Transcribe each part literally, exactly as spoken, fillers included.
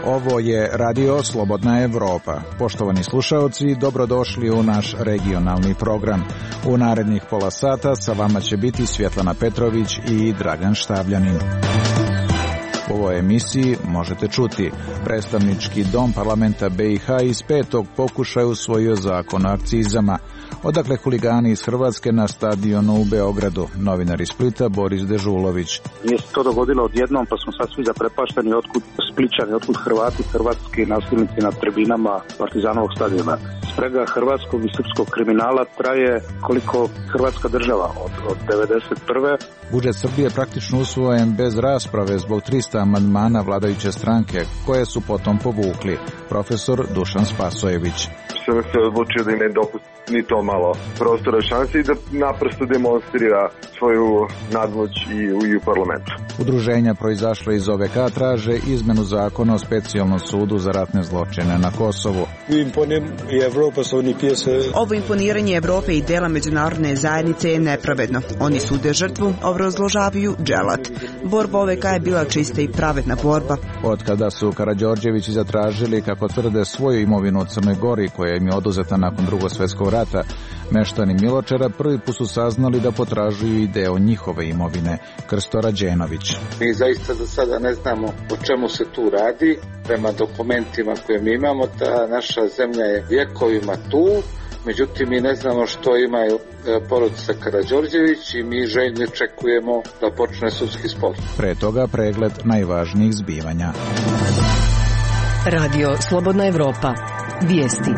Ovo je Radio Slobodna Evropa. Poštovani slušaoci, dobrodošli u naš regionalni program. U narednih pola sata sa vama će biti Svjetlana Petrović i Dragan Štavljanin. U ovoj emisiji možete čuti: predstavnički dom parlamenta B i H iz petog pokušaja usvojio zakon o akcizama. Odakle huligani iz Hrvatske na stadionu u Beogradu? Novinar iz Splita Boris Dežulović. Nije se to dogodilo odjednom, pa smo sad svi zaprepašteni otkud Splićani, otkud Hrvati, hrvatski nasilnici na tribinama Partizanovog stadiona. Sprega hrvatskog i srpskog kriminala traje koliko Hrvatska država od, od devedeset prve. Budžet Srbije je praktično usvojen bez rasprave zbog trista amandmana vladajuće stranke, koje su potom povukli. Profesor Dušan Spasojević. Sam se odlučio da im ne dopusti ni to malo prostora šanse i da naprosto demonstrira svoju nadmoć i u, i u parlamentu. Udruženja proizašle iz O V K traže izmenu zakona o specijalnom sudu za ratne zločine na Kosovu. Ovo imponiranje Evrope i dela međunarodne zajednice je nepravedno. Oni sude žrtvu, obrazložavaju dželat. Borba O V K je bila čista i pravedna borba. Od kada su Karađorđevići zatražili, kako tvrde, svoju imovinu u Crnoj Gori, koja im je oduzeta nakon Drugog svjetskog rata, meštani Miločara prvi put su saznali da potražuju i deo njihove imovine. Krsto Rađenović. Mi zaista za sada ne znamo o čemu se tu radi. Prema dokumentima koje mi imamo, ta naša zemlja je vjekovima tu, međutim mi ne znamo što imaju porodica Karađorđević i mi željno čekujemo da počne sudski spor. Pre toga pregled najvažnijih zbivanja. Radio Slobodna Evropa. Vijesti.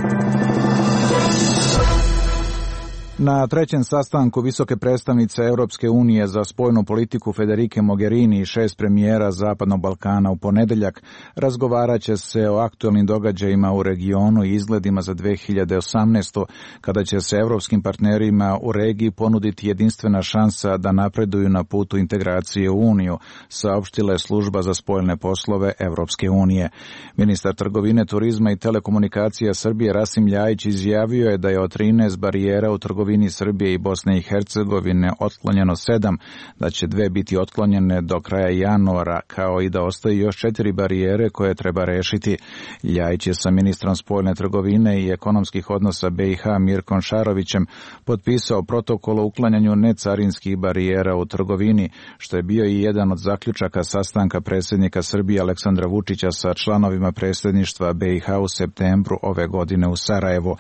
Na trećem sastanku visoke predstavnice Europske unije za spoljnu politiku Federike Mogherini i šest premijera Zapadnog Balkana u ponedeljak razgovarat će se o aktualnim događajima u regionu i izgledima za dve hiljade osamnaestu. kada će se europskim partnerima u regiji ponuditi jedinstvena šansa da napreduju na putu integracije u Uniju, saopštila je služba za spoljne poslove Europske unije. Ministar trgovine, turizma i telekomunikacija Srbije Rasim Ljajić izjavio je da je od trinaest barijera u trgovini Srbije i Bosne i Hercegovine otklonjeno sedam, da će dve biti otklonjene do kraja januara, kao i da ostaje još četiri barijere koje treba rešiti. Ljajić je sa ministrom spoljne trgovine i ekonomskih odnosa B i H Mirkom Šarovićem potpisao protokol o uklanjanju necarinskih barijera u trgovini, što je bio i jedan od zaključaka sastanka predsjednika Srbije Aleksandra Vučića sa članovima predsjedništva B i H u septembru ove godine u Sarajevu.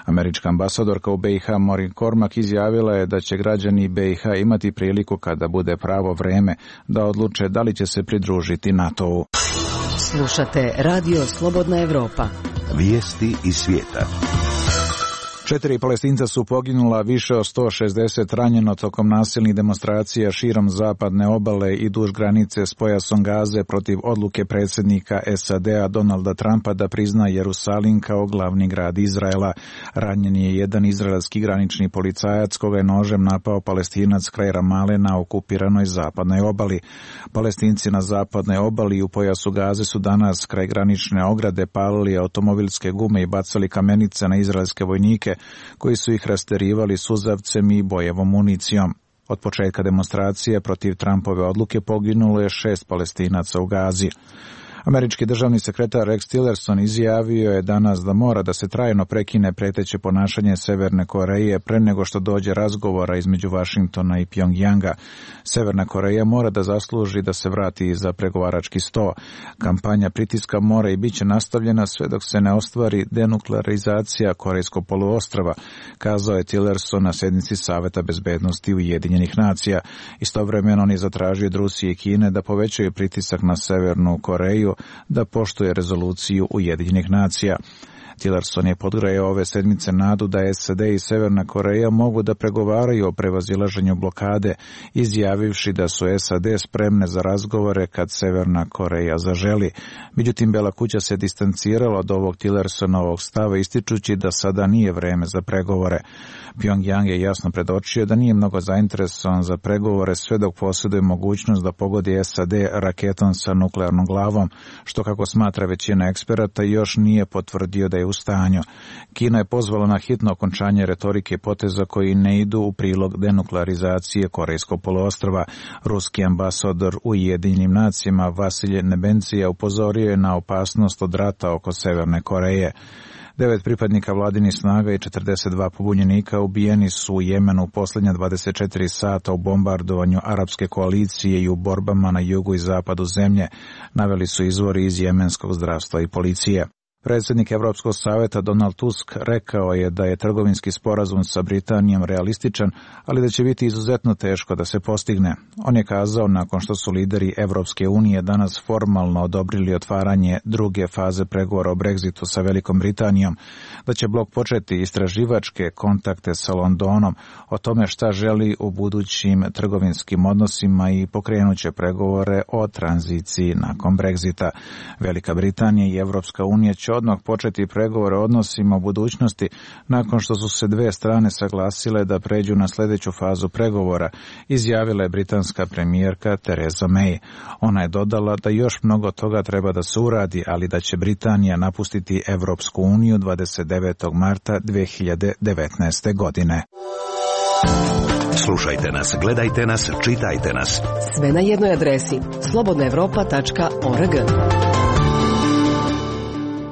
Američka ambasadorka u B i H Maureen Cormack izjavila je da će građani B i H imati priliku, kada bude pravo vreme, da odluče da li će se pridružiti NATO-u. Slušate Radio Slobodna Evropa. Vijesti iz svijeta. Četiri Palestinca su poginula, više od sto šezdeset ranjeno tokom nasilnih demonstracija širom zapadne obale i duž granice s pojasom Gaze protiv odluke predsjednika S A D-a Donalda Trumpa da prizna Jerusalim kao glavni grad Izraela. Ranjen je jedan izraelski granični policajac koga je nožem napao Palestinac kraj Ramale na okupiranoj zapadnoj obali. Palestinci na zapadnoj obali i u pojasu Gaze su danas kraj granične ograde palili automobilske gume i bacali kamenice na izraelske vojnike, koji su ih rasterivali suzavcem i bojevom municijom. Od početka demonstracije protiv Trumpove odluke poginulo je šest Palestinaca u Gazi. Američki državni sekretar Rex Tillerson izjavio je danas da mora da se trajno prekine preteće ponašanje Severne Koreje pre nego što dođe razgovora između Vašingtona i Pjongjanga. Severna Koreja mora da zasluži da se vrati za pregovarački sto. Kampanja pritiska mora i bit će nastavljena sve dok se ne ostvari denuklearizacija Korejskog poluostrva, kazao je Tillerson na sednici Saveta bezbednosti Ujedinjenih nacija. Istovremeno on je zatražio od Rusije i Kine da povećaju pritisak na Severnu Koreju da poštuje rezoluciju Ujedinjenih nacija. Tillerson je podgrejao ove sedmice nadu da S A D i Severna Koreja mogu da pregovaraju o prevazilaženju blokade, izjavivši da su S A D spremne za razgovore kad Severna Koreja zaželi. Međutim, Bela kuća se distancirala od ovog Tillersonovog stava, ističući da sada nije vreme za pregovore. Pjongjang je jasno predočio da nije mnogo zainteresovan za pregovore sve dok posjeduje mogućnost da pogodi S A D raketom sa nuklearnom glavom, što, kako smatra većina eksperata, još nije potvrdio da je u stanju. Kina je pozvala na hitno okončanje retorike poteza koji ne idu u prilog denuklearizacije Korejskog poluostrva. Ruski ambasador u Ujedinjenim nacijama Vasilij Nebencija upozorio je na opasnost od rata oko Severne Koreje. Devet pripadnika vladinih snaga i četrdeset dva pobunjenika ubijeni su u Jemenu u posljednja dvadeset četiri sata u bombardovanju arapske koalicije i u borbama na jugu i zapadu zemlje, naveli su izvori iz jemenskog zdravstva i policije. Predsjednik Europskog savjeta Donald Tusk rekao je da je trgovinski sporazum sa Britanijom realističan, ali da će biti izuzetno teško da se postigne. On je kazao, nakon što su lideri Europske unije danas formalno odobrili otvaranje druge faze pregovora o Brexitu sa Velikom Britanijom, da će blok početi istraživačke kontakte sa Londonom o tome šta želi u budućim trgovinskim odnosima i pokrenuće pregovore o tranziciji nakon Brexita. Velika Britanija i Europska unija će odmah početi pregovore o odnosima u budućnosti nakon što su se dve strane saglasile da pređu na sljedeću fazu pregovora, izjavila je britanska premijerka Theresa May. Ona je dodala da još mnogo toga treba da se uradi, ali da će Britanija napustiti Europsku uniju dvadeset devetog marta dve hiljade devetnaeste. godine. Slušajte nas, gledajte nas, čitajte nas. Sve na jednoj adresi slobodna evropa tačka org.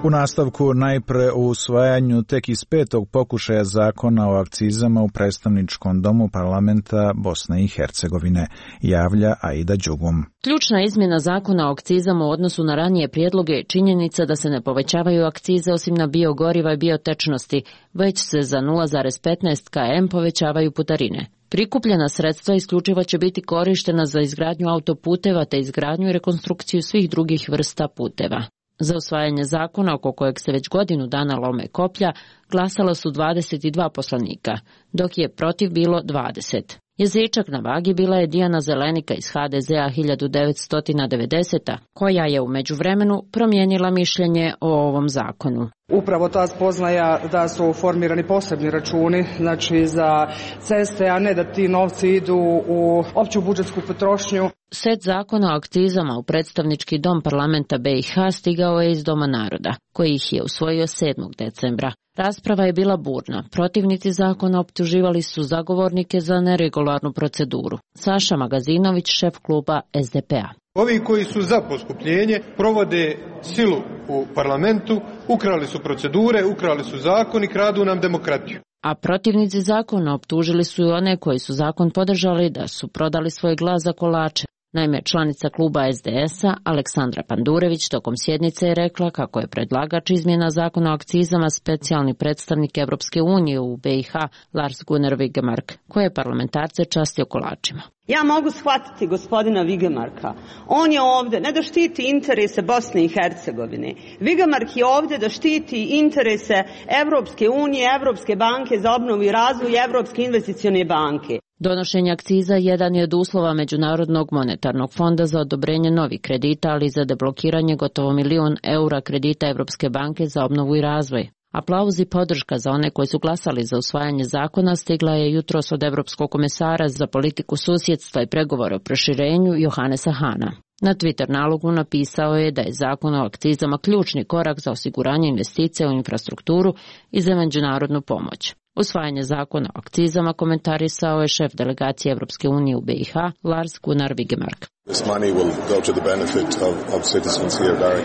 U nastavku najpre u usvajanju tek iz petog pokušaja zakona o akcizama u predstavničkom domu parlamenta Bosne i Hercegovine, javlja Aida Đugum. Ključna izmjena zakona o akcizama u odnosu na ranije prijedloge je činjenica da se ne povećavaju akcize osim na biogoriva i biotečnosti, već se za nula zarez petnaest kilometara povećavaju putarine. Prikupljena sredstva isključivo će biti korištena za izgradnju autoputeva te izgradnju i rekonstrukciju svih drugih vrsta puteva. Za usvajanje zakona, oko kojeg se već godinu dana lome koplja, glasalo su dvadeset dva poslanika, dok je protiv bilo dvadeset. Jezičak na vagi bila je Dijana Zelenika iz ha de zea hiljadu devetsto devedesete. koja je u međuvremenu promijenila mišljenje o ovom zakonu. Upravo ta spoznaja da su formirani posebni računi, znači za ceste, a ne da ti novci idu u opću budžetsku potrošnju. Set zakona o akcizama u predstavnički dom parlamenta be i ha stigao je iz Doma naroda, koji ih je usvojio sedmog decembra. Rasprava je bila burna. Protivnici zakona optuživali su zagovornike za neregularnu proceduru. Saša Magazinović, šef kluba es de pe a. Ovi koji su za poskupljenje provode silu u parlamentu, ukrali su procedure, ukrali su zakon i kradu nam demokratiju. A protivnici zakona optužili su i one koji su zakon podržali da su prodali svoj glas za kolače. Naime, članica kluba es de es a Aleksandra Pandurević tokom sjednice je rekla kako je predlagač izmjena zakona o akcizama specijalni predstavnik Evropske unije u be i ha Lars Gunnar Vigemark, koji je parlamentarce častio kolačima. Ja mogu shvatiti gospodina Vigemarka. On je ovdje ne da štiti interese Bosne i Hercegovine. Vigemark je ovdje da štiti interese Evropske unije, Evropske banke za obnovu i razvoj i Evropske investicione banke. Donošenje akciza jedan je od uslova Međunarodnog monetarnog fonda za odobrenje novih kredita, ali i za deblokiranje gotovo milijun eura kredita Evropske banke za obnovu i razvoj. Aplauz i podrška za one koji su glasali za usvajanje zakona stigla je jutros od Evropskog komesara za politiku susjedstva i pregovore o proširenju Johannesa Hana. Na Twitter nalogu napisao je da je zakon o akcizama ključni korak za osiguranje investicija u infrastrukturu i za međunarodnu pomoć. Usvajanje zakona o akcizama komentarisao je šef delegacije Evropske unije u be i ha Lars Gunnar Vigemark.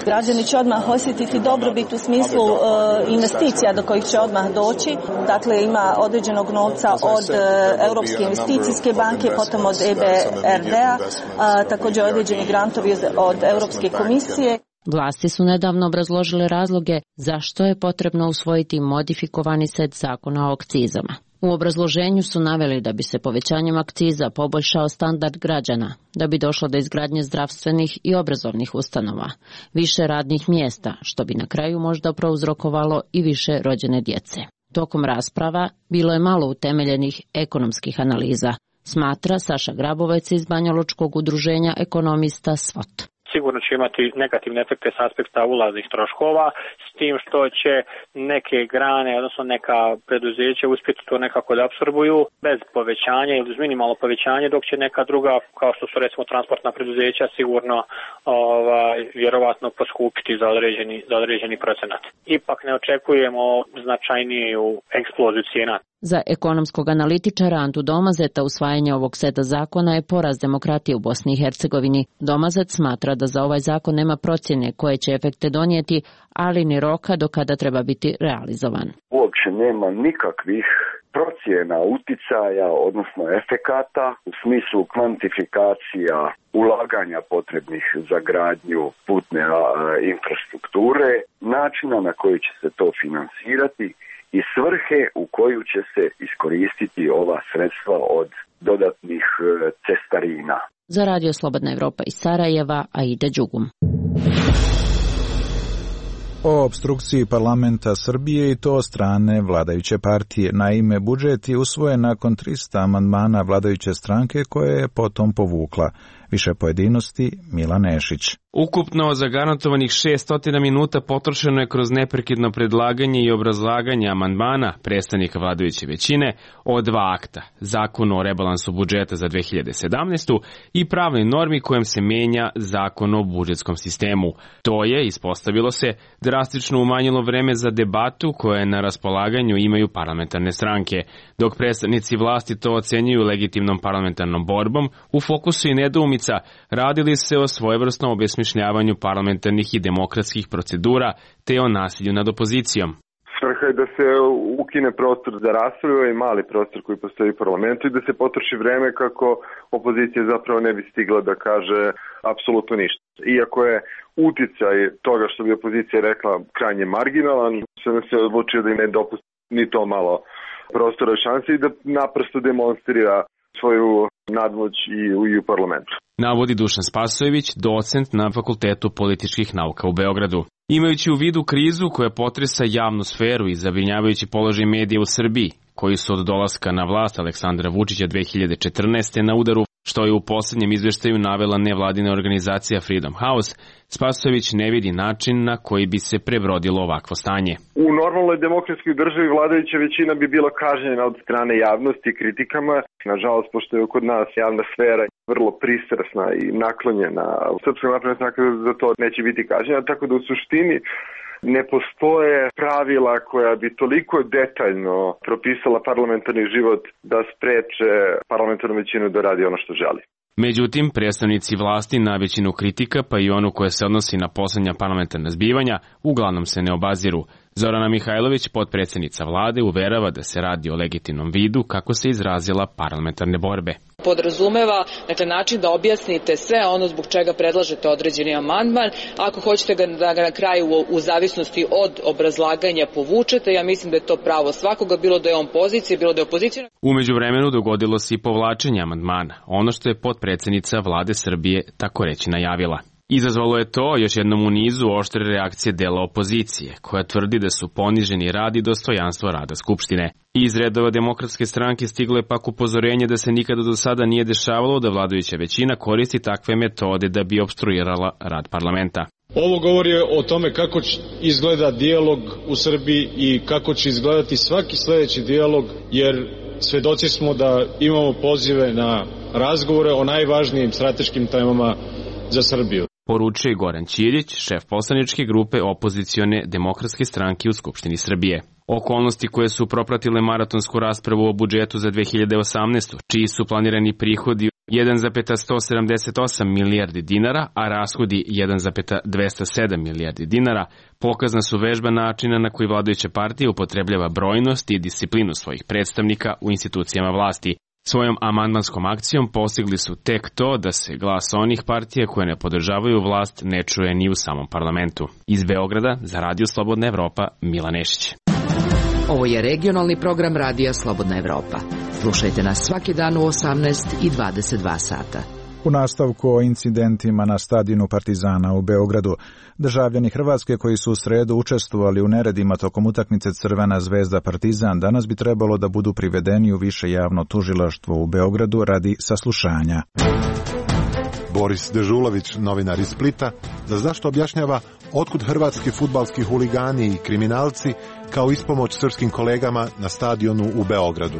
Građani će odmah osjetiti dobrobit u smislu uh, investicija do kojih će odmah doći. Dakle, ima određenog novca od uh, Europske investicijske banke, potom od e be er de-a, uh, također određeni grantovi od Europske komisije. Vlasti su nedavno obrazložile razloge zašto je potrebno usvojiti modifikovani set zakona o akcizama. U obrazloženju su naveli da bi se povećanjem akciza poboljšao standard građana, da bi došlo do izgradnje zdravstvenih i obrazovnih ustanova, više radnih mjesta, što bi na kraju možda prouzrokovalo i više rođene djece. Tokom rasprava bilo je malo utemeljenih ekonomskih analiza, smatra Saša Grabovec iz Banjalučkog udruženja ekonomista SWOT. sigurno će imati negativne efekte s aspekta ulaznih troškova, s tim što će neke grane, odnosno neka preduzeća uspjeti to nekako da apsorbuju bez povećanja ili uz minimalno povećanje, dok će neka druga, kao što su recimo transportna preduzeća, sigurno ovaj, vjerovatno poskupiti za određeni, za određeni procenat. Ipak ne očekujemo značajniju eksploziju cijena. Za ekonomskog analitičara Antu Domazeta usvajanje ovog seta zakona je poraz demokratije u Bosni i Hercegovini. Domazet smatra da za ovaj zakon nema procjene koje će efekte donijeti, ali ni roka do kada treba biti realizovan. Uopće nema nikakvih procjena uticaja, odnosno efekata u smislu kvantifikacija ulaganja potrebnih za gradnju putne a, infrastrukture, načina na koji će se to finansirati i svrhe u koju će se iskoristiti ova sredstva od dodatnih cestarina. Za Radio Slobodna Evropa iz Sarajeva, Aida Đugum. O opstrukciji parlamenta Srbije i to od strane vladajuće partije. Naime, budžet je usvojen nakon trista amandmana vladajuće stranke koje je potom povukla. Više pojedinosti Milan Nešić. Ukupno zagarantovanih šessto minuta potrošeno je kroz neprekidno predlaganje i obrazlaganje amandmana predstavnika vladajuće većine o dva akta, Zakon o rebalansu budžeta za dve hiljade sedamnaestu. i pravnoj normi kojom se menja Zakon o budžetskom sistemu. To je, ispostavilo se, drastično umanjilo vreme za debatu koje na raspolaganju imaju parlamentarne stranke. Dok predstavnici vlasti to ocenjuju legitimnom parlamentarnom borbom, u fokusu i nedoumica radili se o svojevrsnom obesmišljavanju parlamentarnih i demokratskih procedura te o nasilju nad opozicijom. Svrha je da se ukine prostor za raspravu i mali prostor koji postoji u parlamentu i da se potroši vreme kako opozicija zapravo ne bi stigla da kaže apsolutno ništa. Iako je uticaj toga što bi opozicija rekla krajnje marginalan, sam se odlučio da im ne dopusti ni to malo prostora i šanse i da naprosto demonstrira svoju nadmoć i u, i u parlamentu. Navodi Dušan Spasojević, docent na Fakultetu političkih nauka u Beogradu. Imajući u vidu krizu koja potresa javnu sferu i zabrinjavajući položaj medija u Srbiji, koji su od dolaska na vlast Aleksandra Vučića dve hiljade četrnaeste. na udaru, što je u posljednjem izveštaju navela nevladina organizacija Freedom House, Spasojević ne vidi način na koji bi se prebrodilo ovakvo stanje. U normalnoj demokratskoj državi vladajuća većina bi bila kažnjena od strane javnosti i kritikama. Nažalost, pošto je kod nas javna sfera vrlo pristrasna i naklonjena, Srpska napredna stranka za to neće biti kažnjena, tako da u suštini ne postoje pravila koja bi toliko detaljno propisala parlamentarni život da spreče parlamentarnu većinu da radi ono što želi. Međutim, predstavnici vlasti na većinu kritika, pa i onu koja se odnosi na poslednja parlamentarna zbivanja, uglavnom se ne obaziru. Zorana Mihajlović, potpredsjednica vlade, uverava da se radi o legitimnom vidu, kako se izrazila, parlamentarne borbe. Podrazumeva, dakle, način da objasnite sve ono zbog čega predlažete određeni amandman. Ako hoćete ga, da ga na kraju u, u zavisnosti od obrazlaganja povučete, ja mislim da je to pravo svakoga, bilo da je on pozicija, bilo da je opozicija. Umeđu vremenu dogodilo se i povlačenje amandmana, ono što je potpredsjednica vlade Srbije tako reći najavila. Izazvalo je to još jednom u nizu oštre reakcije dela opozicije, koja tvrdi da su poniženi rad i dostojanstvo rada Skupštine. Iz redova Demokratske stranke stiglo je pak upozorenje da se nikada do sada nije dešavalo da vladajuća većina koristi takve metode da bi opstruirala rad parlamenta. Ovo govori o tome kako izgleda dijalog u Srbiji i kako će izgledati svaki sledeći dijalog, jer svedoci smo da imamo pozive na razgovore o najvažnijim strateškim temama za Srbiju. Poručuje Goran Ćirić, šef poslaničke grupe opozicione Demokratske stranke u Skupštini Srbije. Okolnosti koje su propratile maratonsku raspravu o budžetu za dve hiljade osamnaestu. čiji su planirani prihodi jedan zarez sto sedamdeset osam milijardi dinara, a rashodi jedan zarez dvesta sedam milijardi dinara, pokazna su vežba načina na koji vladajuća partija upotrebljava brojnost i disciplinu svojih predstavnika u institucijama vlasti. Svojom amandmanskom akcijom postigli su tek to da se glas onih partija koje ne podržavaju vlast ne čuje ni u samom parlamentu. Iz Beograda za Radio Slobodna Evropa, Milan Nešić. Ovo je regionalni program Radija Slobodna Evropa. Slušajte nas svaki dan u osamnaest i dvadeset dva sata. U nastavku o incidentima na stadionu Partizana u Beogradu, državljani Hrvatske koji su u sredu učestvovali u neredima tokom utakmice Crvena zvezda Partizan danas bi trebalo da budu privedeni u više javno tužilaštvo u Beogradu radi saslušanja. Boris Dežulović, novinar iz Splita, za zašto objašnjava otkud hrvatski fudbalski huligani i kriminalci kao ispomoć srpskim kolegama na stadionu u Beogradu.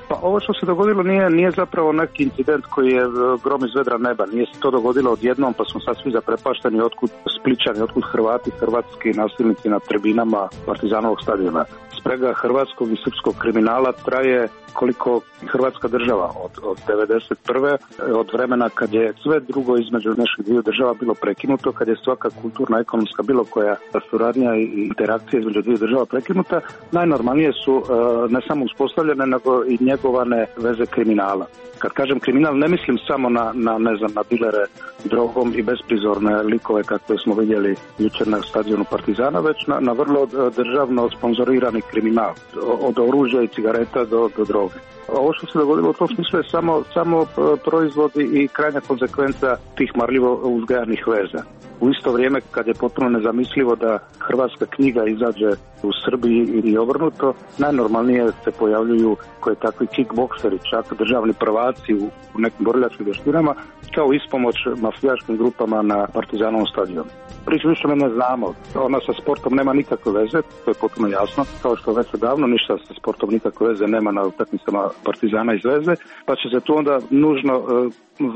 Pa ovo što se dogodilo nije, nije zapravo neki incident koji je grom iz vedra neba. Nije se to dogodilo odjednom pa smo sad svi zaprepašteni otkud Spličani, otkud Hrvati, hrvatski nasilnici na tribinama Partizanovog stadiona. Sprega hrvatskog i srpskog kriminala traje koliko Hrvatska država od, od devedeset prve od vremena kad je sve drugo između naših dviju država bilo prekinuto, kad je svaka kulturna, ekonomska, bilo koja suradnja i interakcija između dviju država prekinuta, najnormalnije su ne samo uspostavljene, nego i njegovane veze kriminala. Kad kažem kriminal, ne mislim samo na, na ne znam, na dilere drogom i besprizorne likove kakve smo vidjeli jučer na stadionu Partizana, već na, na vrlo državno sponzorirani kriminal, od oružja i cigareta do, do droge. Ovo što se dogodilo u tom smislu je samo, samo proizvodi i krajnja konsekvenca tih marljivo uzgajanih veza. U isto vrijeme kad je potpuno nezamislivo da hrvatska knjiga izađe u Srbiji i obrnuto, najnormalnije se pojavljuju koje takvi kickbokseri, čak državni prvaci u, u nekim borilačkim vještinama, kao ispomoć mafijaškim grupama na Partizanovom stadionu. Priču više ne znamo, ona sa sportom nema nikakve veze, to je potpuno jasno, kao što već odavno ništa sa sportom nikakve veze nema na utakmicama Partizana iz veze, pa će se tu onda nužno e,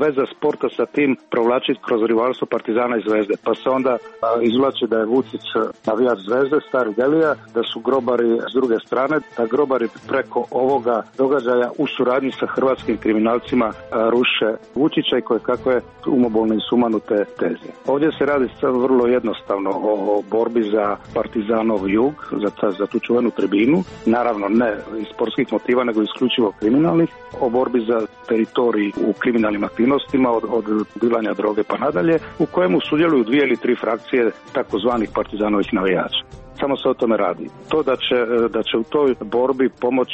veza sporta sa tim provlačiti kroz rivalstvo Partizana iz Zvezde. Pa se onda a, izvlači da je Vucić navijač Zvezde, stari Delija, da su grobari s druge strane, da grobari preko ovoga događaja u suradnji sa hrvatskim kriminalcima a, ruše Vučića i koje kakve umobolne i sumanute teze. Ovdje se radi vrlo jednostavno o, o borbi za Partizanov jug, za, za tu čuvenu tribinu, naravno ne iz sportskih motiva, nego isključivo kriminalnih, o borbi za teritorij u kriminalnim aktivnostima od, od dilanja droge pa nadalje, u kojemu sudjeluju dvije ili tri frakcije takozvanih partizanovih navijača. Samo se o tome radi. To da će, da će u toj borbi pomoć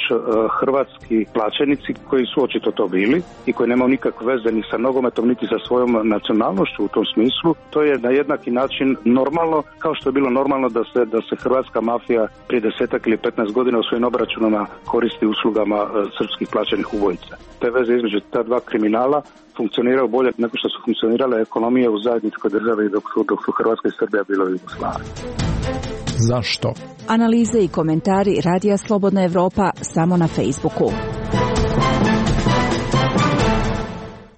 hrvatski plaćenici koji su očito to bili i koji nemaju nikakve veze ni sa nogometom niti sa svojom nacionalnošću u tom smislu, to je na jednaki način normalno kao što je bilo normalno da se, da se hrvatska mafija prije desetak ili petnaest godina u svojim obračunama koristi uslugama srpskih plaćenih ubojica. Te veze između ta dva kriminala funkcioniraju bolje nego što su funkcionirale ekonomije u zajedničkoj državi dok su, dok su Hrvatska i Srbija bilo u Jugoslaviji. Zašto? Analize i komentari Radija Slobodna Evropa samo na Facebooku.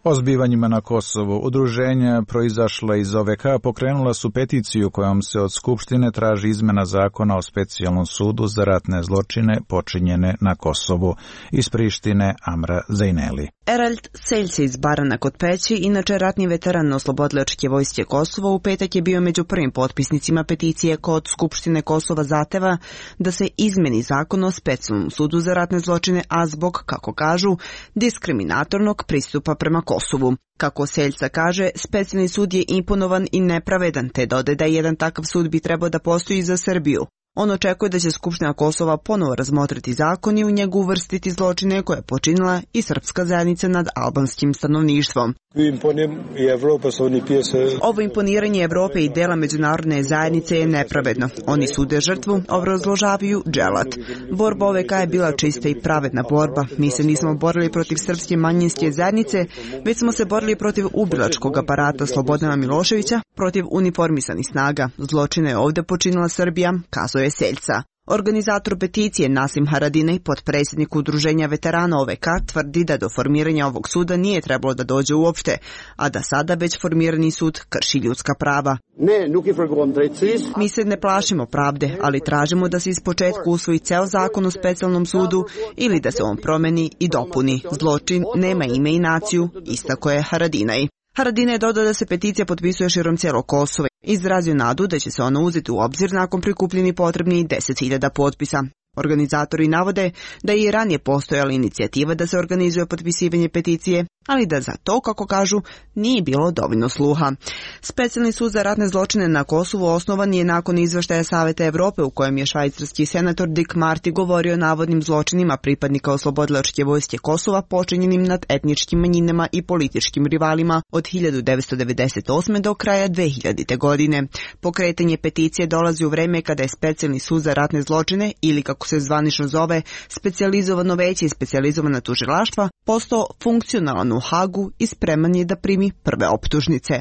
O zbivanjima na Kosovu udruženja proizašla iz O V K pokrenula su peticiju kojom se od Skupštine traži izmena zakona o specijalnom sudu za ratne zločine počinjene na Kosovu. Iz Prištine Amra Zejneli. Erald Seljce iz Barana kod Peći, inače ratni veteran Oslobodilačke vojske Kosova, u petak je bio među prvim potpisnicima peticije kod Skupštine Kosova zahteva da se izmeni zakon o specijalnom sudu za ratne zločine, a zbog, kako kažu, diskriminatornog pristupa prema Kosovu. Kako Seljca kaže, specijalni sud je imponovan i nepravedan, te dodaje da jedan takav sud bi trebao da postoji za Srbiju. On očekuje da će Skupština Kosova ponovo razmotriti zakon i u njegu uvrstiti zločine koje je počinila i srpska zajednica nad albanskim stanovništvom. Ovo imponiranje Evrope i dela međunarodne zajednice je nepravedno. Oni sude žrtvu, obrazložavaju Dželat. Borba O V K je bila čista i pravedna borba. Mi se nismo borili protiv srpske manjinske zajednice, već smo se borili protiv ubilačkog aparata Slobodana Miloševića, protiv uniformisanih snaga. Zločine je ovdje počinila Srbija, kazuje Seljca. Organizator peticije Nasim Haradinaj, potpredsjednik udruženja veterana O V K, tvrdi da do formiranja ovog suda nije trebalo da dođe uopšte, a da sada već formirani sud krši ljudska prava. Mi se ne plašimo pravde, ali tražimo da se ispočetka usvoji ceo zakon o specijalnom sudu ili da se on promeni i dopuni. Zločin nema ime i naciju, istako je Haradinaj. Haradinaj je dodao da se peticija potpisuje širom cijelog Kosova. Izrazio nadu da će se ona uzeti u obzir nakon prikupljeni potrebni deset hiljada potpisa. Organizatori navode da je i ranije postojala inicijativa da se organizuje potpisivanje peticije, ali da za to, kako kažu, nije bilo dovoljno sluha. Specijalni sud za ratne zločine na Kosovu osnovan je nakon izveštaja Saveta Evrope u kojem je švajcarski senator Dick Marty govorio o navodnim zločinima pripadnika Oslobodilačke vojske Kosova počinjenim nad etničkim manjinama i političkim rivalima od hiljadu devetsto devedeset osme do kraja dve hiljadite. godine. Pokretanje peticije dolazi u vreme kada je Specijalni sud za ratne zločine, ili kako se zvanično zove, specijalizovano veće i specijalizovana tužilaštva, postao funkcionalan u Hagu i spreman je da primi prve optužnice.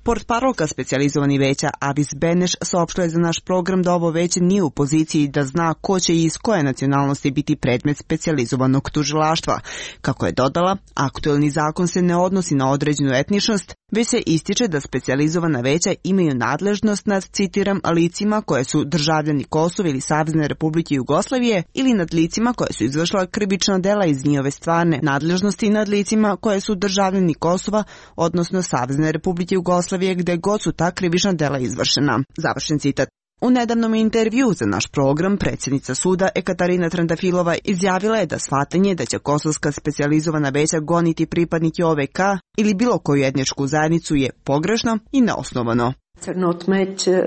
Portparolka specijalizovani veća Avis Beneš saopštila je za naš program da ovo veće nije u poziciji da zna ko će i iz koje nacionalnosti biti predmet specijalizovanog tužilaštva. Kako je dodala, aktuelni zakon se ne odnosi na određenu etničnost, već se ističe da specijalizovana veća imaju nadležnost nad, citiram, licima koje su državljani Kosova ili Savezne Republike Jugoslavije ili nad licima koje su izvršila krivična dela iz njihove stvarne nadležnosti i nad licima koje su državljani Kosova, odnosno Savezne Republike Jugoslavije gde god su ta krivična dela izvršena. Završen citat. U nedavnom intervju za naš program predsjednica suda Ekaterina Trandafilova izjavila je da shvatanje da će kosovska specijalizovana veća goniti pripadnike O V K ili bilo koju etničku zajednicu je pogrešno i neosnovano.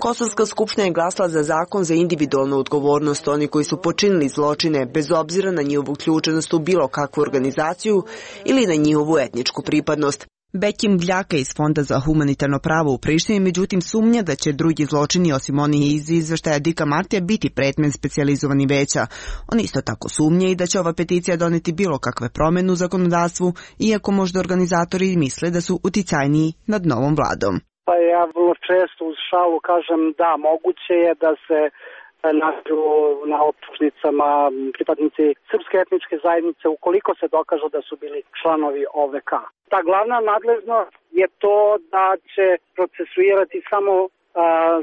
Kosovska skupština je glasala za zakon za individualnu odgovornost oni koji su počinili zločine bez obzira na njihovu uključenost u bilo kakvu organizaciju ili na njihovu etničku pripadnost. Bekim Bljaka iz Fonda za humanitarno pravo u Prištini međutim sumnja da će drugi zločini osim onih iz izveštaja Dika Martija biti predmet specijalizovani veća. On isto tako sumnja i da će ova peticija doneti bilo kakve promjene u zakonodavstvu, iako možda organizatori misle da su uticajniji nad novom vladom. Pa ja vrlo često uz šalu kažem da moguće je da se nađu na optužnicama pripadnici srpske etničke zajednice ukoliko se dokažu da su bili članovi O V K. Ta glavna nadležnost je to da će procesuirati samo a,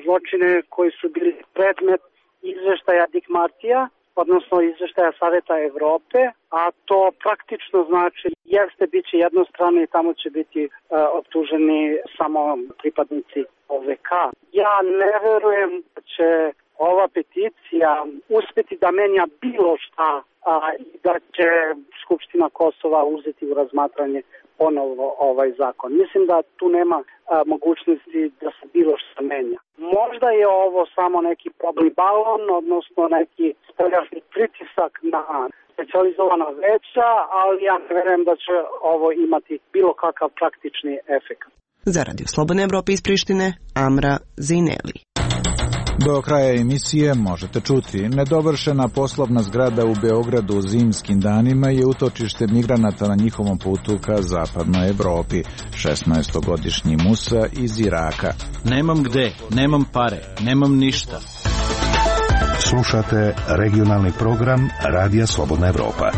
zločine koji su bili predmet izveštaja Dik Martija, odnosno izveštaja Saveta Evrope, a to praktično znači jeste bit će jednostrano i tamo će biti a, optuženi samo pripadnici O V K. Ja ne verujem da će ova peticija uspjeti da menja bilo šta a, i da će Skupština Kosova uzeti u razmatranje ponovo ovaj zakon. Mislim da tu nema a, mogućnosti da se bilo šta menja. Možda je ovo samo neki probni balon, odnosno neki spoljašnji pritisak na specijalizovana veća, ali ja ne verujem da će ovo imati bilo kakav praktični efekt. Za Radio Slobodne Evrope iz Prištine, Amra Zejneli. Do kraja emisije možete čuti: nedovršena poslovna zgrada u Beogradu u zimskim danima je utočište migranata na njihovom putu ka zapadnoj Evropi. šesnaestogodišnji Musa iz Iraka. Nemam gde, nemam pare, nemam ništa. Slušate regionalni program Radija Slobodna Evropa.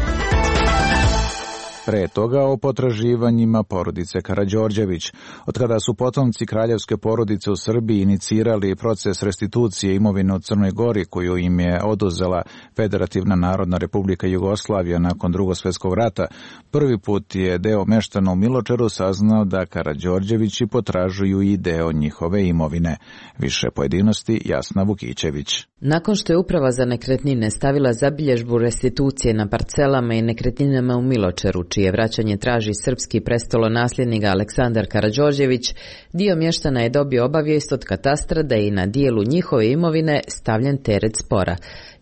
Pre toga o potraživanjima porodice Karađorđević. Od kada su potomci kraljevske porodice u Srbiji inicirali proces restitucije imovine u Crnoj Gori koju im je oduzela Federativna Narodna Republika Jugoslavija nakon Drugog svjetskog rata, prvi put je deo meštana u Miločeru saznao da Karađorđevići potražuju i deo njihove imovine. Više pojedinosti Jasna Vukićević. Nakon što je Uprava za nekretnine stavila zabilježbu restitucije na parcelama i nekretninama u Miločeru, čije vraćanje traži srpski prestolonasljednik Aleksandar Karađorđević, dio mještana je dobio obavijest od katastra da je i na dijelu njihove imovine stavljen teret spora.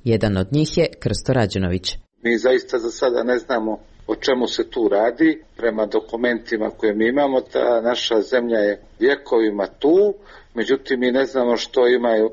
Jedan od njih je Krsto Rađenović. Mi zaista za sada ne znamo o čemu se tu radi. Prema dokumentima koje mi imamo, ta naša zemlja je vjekovima tu, međutim mi ne znamo što imaju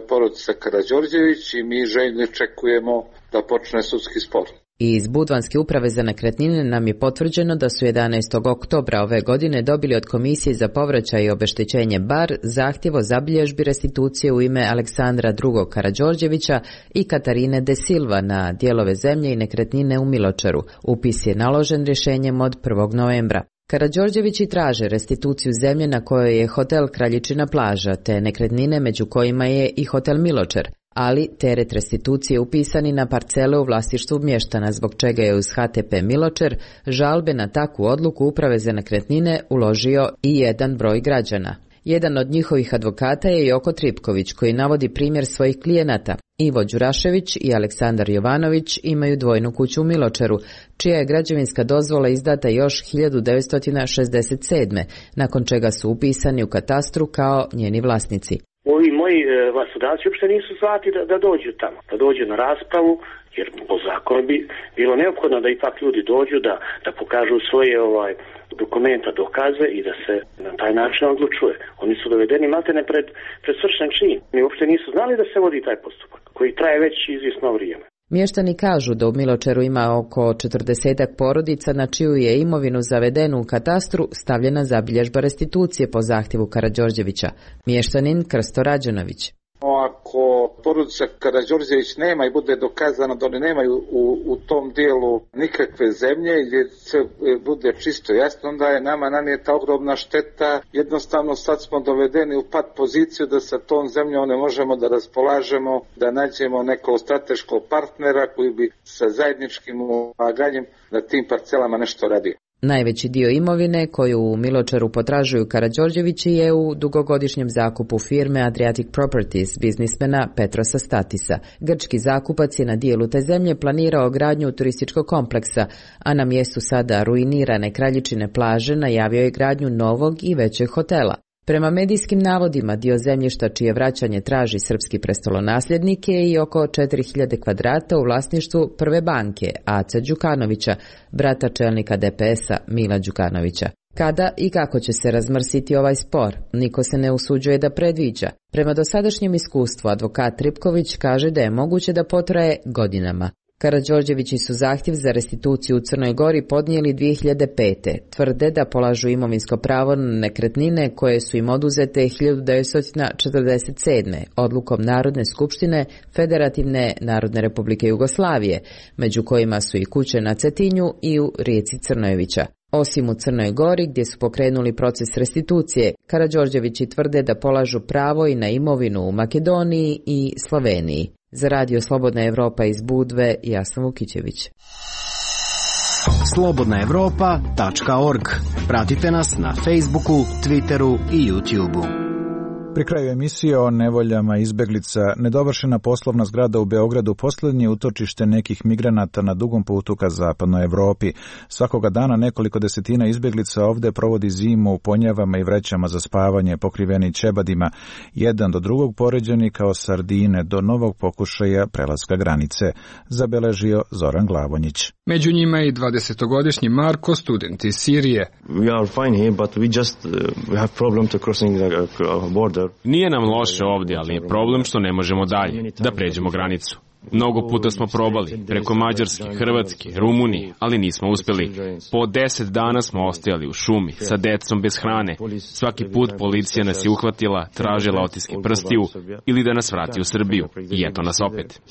porodica Karađorđević i mi željno čekujemo da počne sudski spor. Iz Budvanske uprave za nekretnine nam je potvrđeno da su jedanaestog oktobra ove godine dobili od Komisije za povraćaj i obeštećenje Bar zahtjev o zabilježbi restitucije u ime Aleksandra drugog Karađorđevića i Katarine de Silva na dijelove zemlje i nekretnine u Miločeru. Upis je naložen rješenjem od prvog novembra. Karađorđevići traže restituciju zemlje na kojoj je hotel Kraljičina plaža, te nekretnine među kojima je i hotel Miločer, ali teret restitucije upisani na parcele u vlasništvu mještana, zbog čega je uz H T P Miločer žalbe na takvu odluku Uprave za nekretnine uložio i jedan broj građana. Jedan od njihovih advokata je Joko Tripković, koji navodi primjer svojih klijenata. Ivo Đurašević i Aleksandar Jovanović imaju dvojnu kuću u Miločeru, čija je građevinska dozvola izdata još hiljadu devetsto šezdeset sedme, nakon čega su upisani u katastru kao njeni vlasnici. Ovi moji vlastodavci uopšte nisu zvati da, da dođu tamo, da dođu na raspravu, jer po zakonu bi bilo neophodno da ipak ljudi dođu, da, da pokažu svoje ovaj, dokumenta, dokaze i da se na taj način odlučuje. Oni su dovedeni maltene pred, pred svršen čin. Oni uopšte nisu znali da se vodi taj postupak, koji traje već izvjesno vrijeme. Mještani kažu da u Miločeru ima oko četrdesetak porodica na čiju je imovinu zavedenu u katastru stavljena zabilježba restitucije po zahtjevu Karađorđevića. Mještanin Krsto Rađanović. Ako porodica Karađorđević nema i bude dokazano da oni nemaju u, u tom dijelu nikakve zemlje gdje se bude čisto jasno, onda je nama nanijeta ogromna šteta. Jednostavno sad smo dovedeni u pat poziciju da sa tom zemljom ne možemo da raspolažemo, da nađemo nekog strateškog partnera koji bi sa zajedničkim ulaganjem na tim parcelama nešto radio. Najveći dio imovine koju u Miločeru potražuju Karađorđevići je u dugogodišnjem zakupu firme Adriatic Properties biznismena Petrosa Statisa. Grčki zakupac je na dijelu te zemlje planirao gradnju turističkog kompleksa, a na mjestu sada ruinirane Kraljičine plaže najavio je gradnju novog i većeg hotela. Prema medijskim navodima, dio zemljišta čije vraćanje traži srpski prestolonasljednik je i oko četiri hiljade kvadrata u vlasništvu Prve banke, Aca Đukanovića, brata čelnika D P S-a Mila Đukanovića. Kada i kako će se razmrsiti ovaj spor, niko se ne usuđuje da predviđa. Prema dosadašnjem iskustvu, advokat Ripković kaže da je moguće da potraje godinama. Karađorđevići su zahtjev za restituciju u Crnoj Gori podnijeli dvije hiljade pete. Tvrde da polažu imovinsko pravo na nekretnine koje su im oduzete hiljadu devetsto četrdeset sedme. odlukom Narodne skupštine Federativne Narodne Republike Jugoslavije, među kojima su i kuće na Cetinju i u rijeci Crnojevića. Osim u Crnoj Gori, gdje su pokrenuli proces restitucije, Karađorđevići tvrde da polažu pravo i na imovinu u Makedoniji i Sloveniji. Za Radio Slobodna Evropa iz Budve, Jasna Vukićević. slobodna evropa tačka org. Pratite nas na Facebooku, Twitteru i YouTubeu. Pri kraju emisije o nevoljama izbeglica, nedovršena poslovna zgrada u Beogradu posljednje utočište nekih migranata na dugom putu ka zapadnoj Evropi. Svakoga dana nekoliko desetina izbeglica ovde provodi zimu u ponjavama i vrećama za spavanje pokriveni ćebadima, jedan do drugog poređeni kao sardine do novog pokušaja prelaska granice, zabeležio Zoran Glavonjić. Među njima je i dvadesetogodišnji Marko, student iz Sirije. We are fine here, but we just uh, we have problem to crossing the uh, border. Nije nam loše ovdje, ali je problem što ne možemo dalje, da pređemo granicu. Mnogo puta smo probali, preko Mađarske, Hrvatske, Rumunije, ali nismo uspjeli. Po deset dana smo ostajali u šumi, sa decom bez hrane. Svaki put policija nas je uhvatila, tražila otiske prstiju ili da nas vrati u Srbiju. I eto nas opet.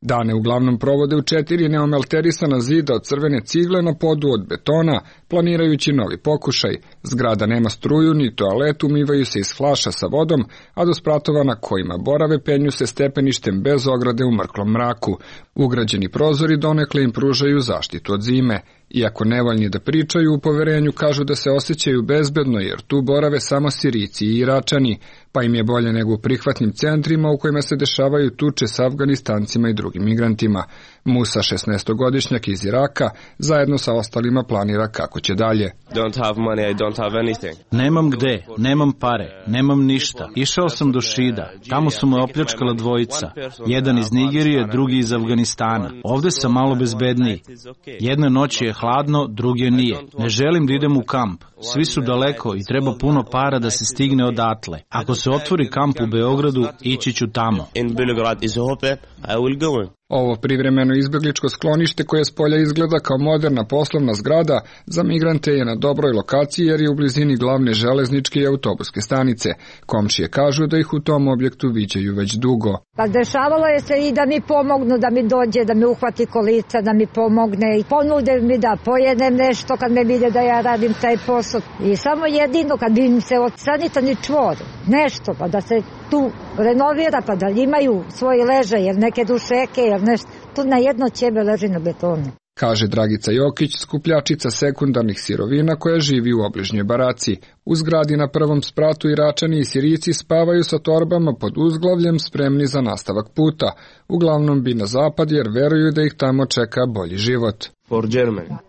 Dane uglavnom provode u četiri neomelterisana zida od crvene cigle na podu od betona, planirajući novi pokušaj. Zgrada nema struju ni toalet, umivaju se iz flaša sa vodom, a do spratova na kojima borave penju se stepeništem bez ograde u mrklom mraku. Ugrađeni prozori donekle im pružaju zaštitu od zime. Iako nevoljni da pričaju, u poverenju kažu da se osjećaju bezbedno jer tu borave samo Sirijci i Iračani, pa im je bolje nego u prihvatnim centrima u kojima se dešavaju tuče s Afganistancima i drugim migrantima. Musa, šesnaestogodišnjak iz Iraka, zajedno sa ostalima planira kako će dalje. Don't have money, I don't have anything. Nemam gde, nemam pare, nemam ništa. Išao sam do Šida, tamo su me opljačkala dvojica. Jedan iz Nigerije, drugi iz Afganistana. Ovde sam malo bezbedniji. Jedne noći je hladno, druge nije. Ne želim da idem u kamp. Svi su daleko i treba puno para da se stigne odatle. Ako se otvori kamp u Beogradu, ići ću tamo. In Belgrade is hope, I will go. Ovo privremeno izbegličko sklonište koje s polja izgleda kao moderna poslovna zgrada za migrante je na dobroj lokaciji jer je u blizini glavne železničke i autobuske stanice. Komšije kažu da ih u tom objektu viđaju već dugo. Pa dešavalo je se i da mi pomognu, da mi dođe, da mi uhvati kolica, da mi pomogne i ponude mi da pojedem nešto kad me vide da ja radim taj posao. I samo jedino kad bi im se od sanitarni čvor, nešto pa da se tu renovira pa da imaju svoj ležaj jer neke dušeke jer nešto, tu na jedno ćebe leži na betonu. Kaže Dragica Jokić, skupljačica sekundarnih sirovina koja živi u obližnjoj baraci. U zgradi na prvom spratu Iračani i Sirijci spavaju sa torbama pod uzglavljem spremni za nastavak puta. Uglavnom bi na zapad jer veruju da ih tamo čeka bolji život.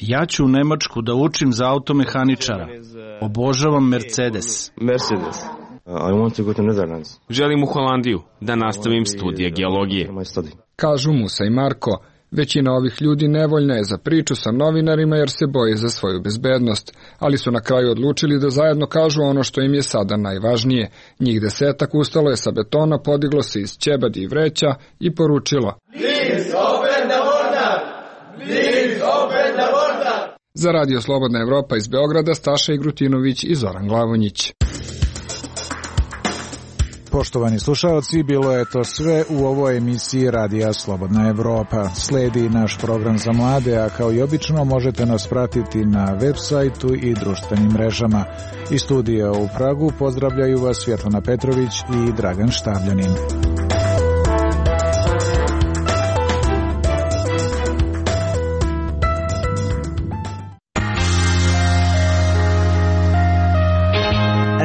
Ja ću u Nemačku da učim za automehaničara. Obožavam Mercedes. Mercedes. I want to go to Netherlands. Želim u Holandiju da nastavim studije geologije. Kažu Musa i Marko. Većina ovih ljudi nevoljna je za priču sa novinarima jer se boje za svoju bezbednost, ali su na kraju odlučili da zajedno kažu ono što im je sada najvažnije. Njih desetak ustalo je sa betona, podiglo se iz ćebadi i vreća i poručilo: Please open the border! Please open the border! Za Radio Slobodna Evropa iz Beograda Staša Igrutinović i Zoran Glavonjić. Poštovani slušalci, bilo je to sve u ovoj emisiji Radija Slobodna Evropa. Sledi naš program za mlade, a kao i obično možete nas pratiti na web sajtu i društvenim mrežama. Iz studija u Pragu pozdravljaju vas Svjetlana Petrović i Dragan Štabljanin.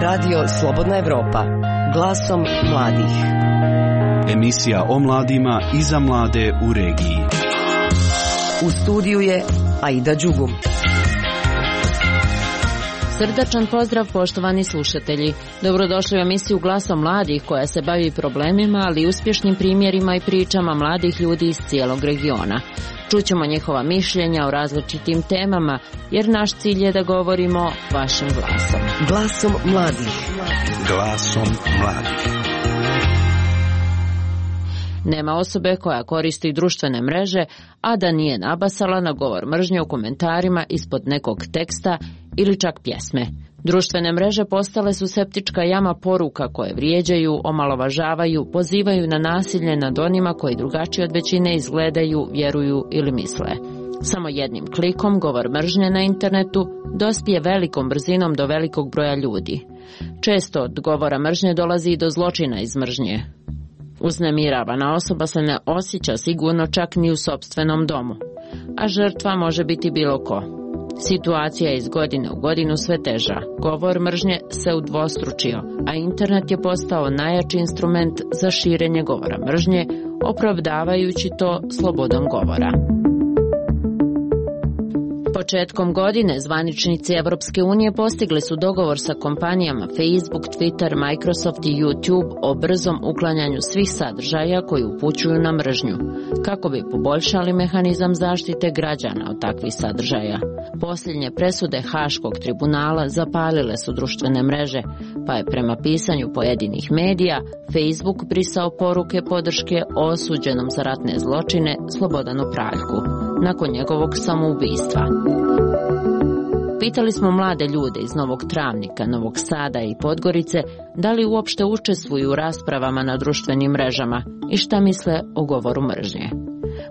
Radio Slobodna Evropa, glasom mladih. Emisija o mladima i za mlade u regiji. U studiju je Aida Đugum. Srdačan pozdrav, poštovani slušatelji. Dobrodošli u emisiju Glasom mladih koja se bavi problemima, ali i uspješnim primjerima i pričama mladih ljudi iz cijelog regiona. Čućemo njihova mišljenja o različitim temama, jer naš cilj je da govorimo vašim glasom. Glasom mladih. Glasom mladih. Nema osobe koja koristi društvene mreže, a da nije nabasala na govor mržnje u komentarima ispod nekog teksta ili čak pjesme. Društvene mreže postale su septička jama poruka koje vrijeđaju, omalovažavaju, pozivaju na nasilje nad onima koji drugačije od većine izgledaju, vjeruju ili misle. Samo jednim klikom govor mržnje na internetu dospije velikom brzinom do velikog broja ljudi. Često od govora mržnje dolazi i do zločina iz mržnje. Uznemiravana osoba se ne osjeća sigurno čak ni u sopstvenom domu, a žrtva može biti bilo ko. Situacija je iz godine u godinu sve teža. Govor mržnje se udvostručio, a internet je postao najjači instrument za širenje govora mržnje, opravdavajući to slobodom govora. Početkom godine zvaničnici Evropske unije postigli su dogovor sa kompanijama Facebook, Twitter, Microsoft i YouTube o brzom uklanjanju svih sadržaja koji upućuju na mržnju, kako bi poboljšali mehanizam zaštite građana od takvih sadržaja. Posljednje presude Haškog tribunala zapalile su društvene mreže, pa je prema pisanju pojedinih medija Facebook brisao poruke podrške osuđenom za ratne zločine Slobodanu Praljku nakon njegovog samoubistva. Pitali smo mlade ljude iz Novog Travnika, Novog Sada i Podgorice da li uopšte učestvuju u raspravama na društvenim mrežama i šta misle o govoru mržnje.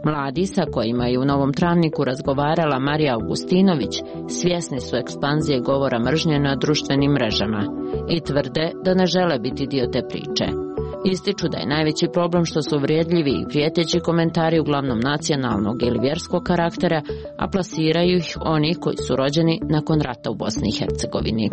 Mladi sa kojima je u Novom Travniku razgovarala Marija Augustinović svjesni su ekspanzije govora mržnje na društvenim mrežama i tvrde da ne žele biti dio te priče. Ističu da je najveći problem što su uvrijedljivi i prijeteći komentari uglavnom nacionalnog ili vjerskog karaktera, a plasiraju ih oni koji su rođeni nakon rata u Bosni i Hercegovini.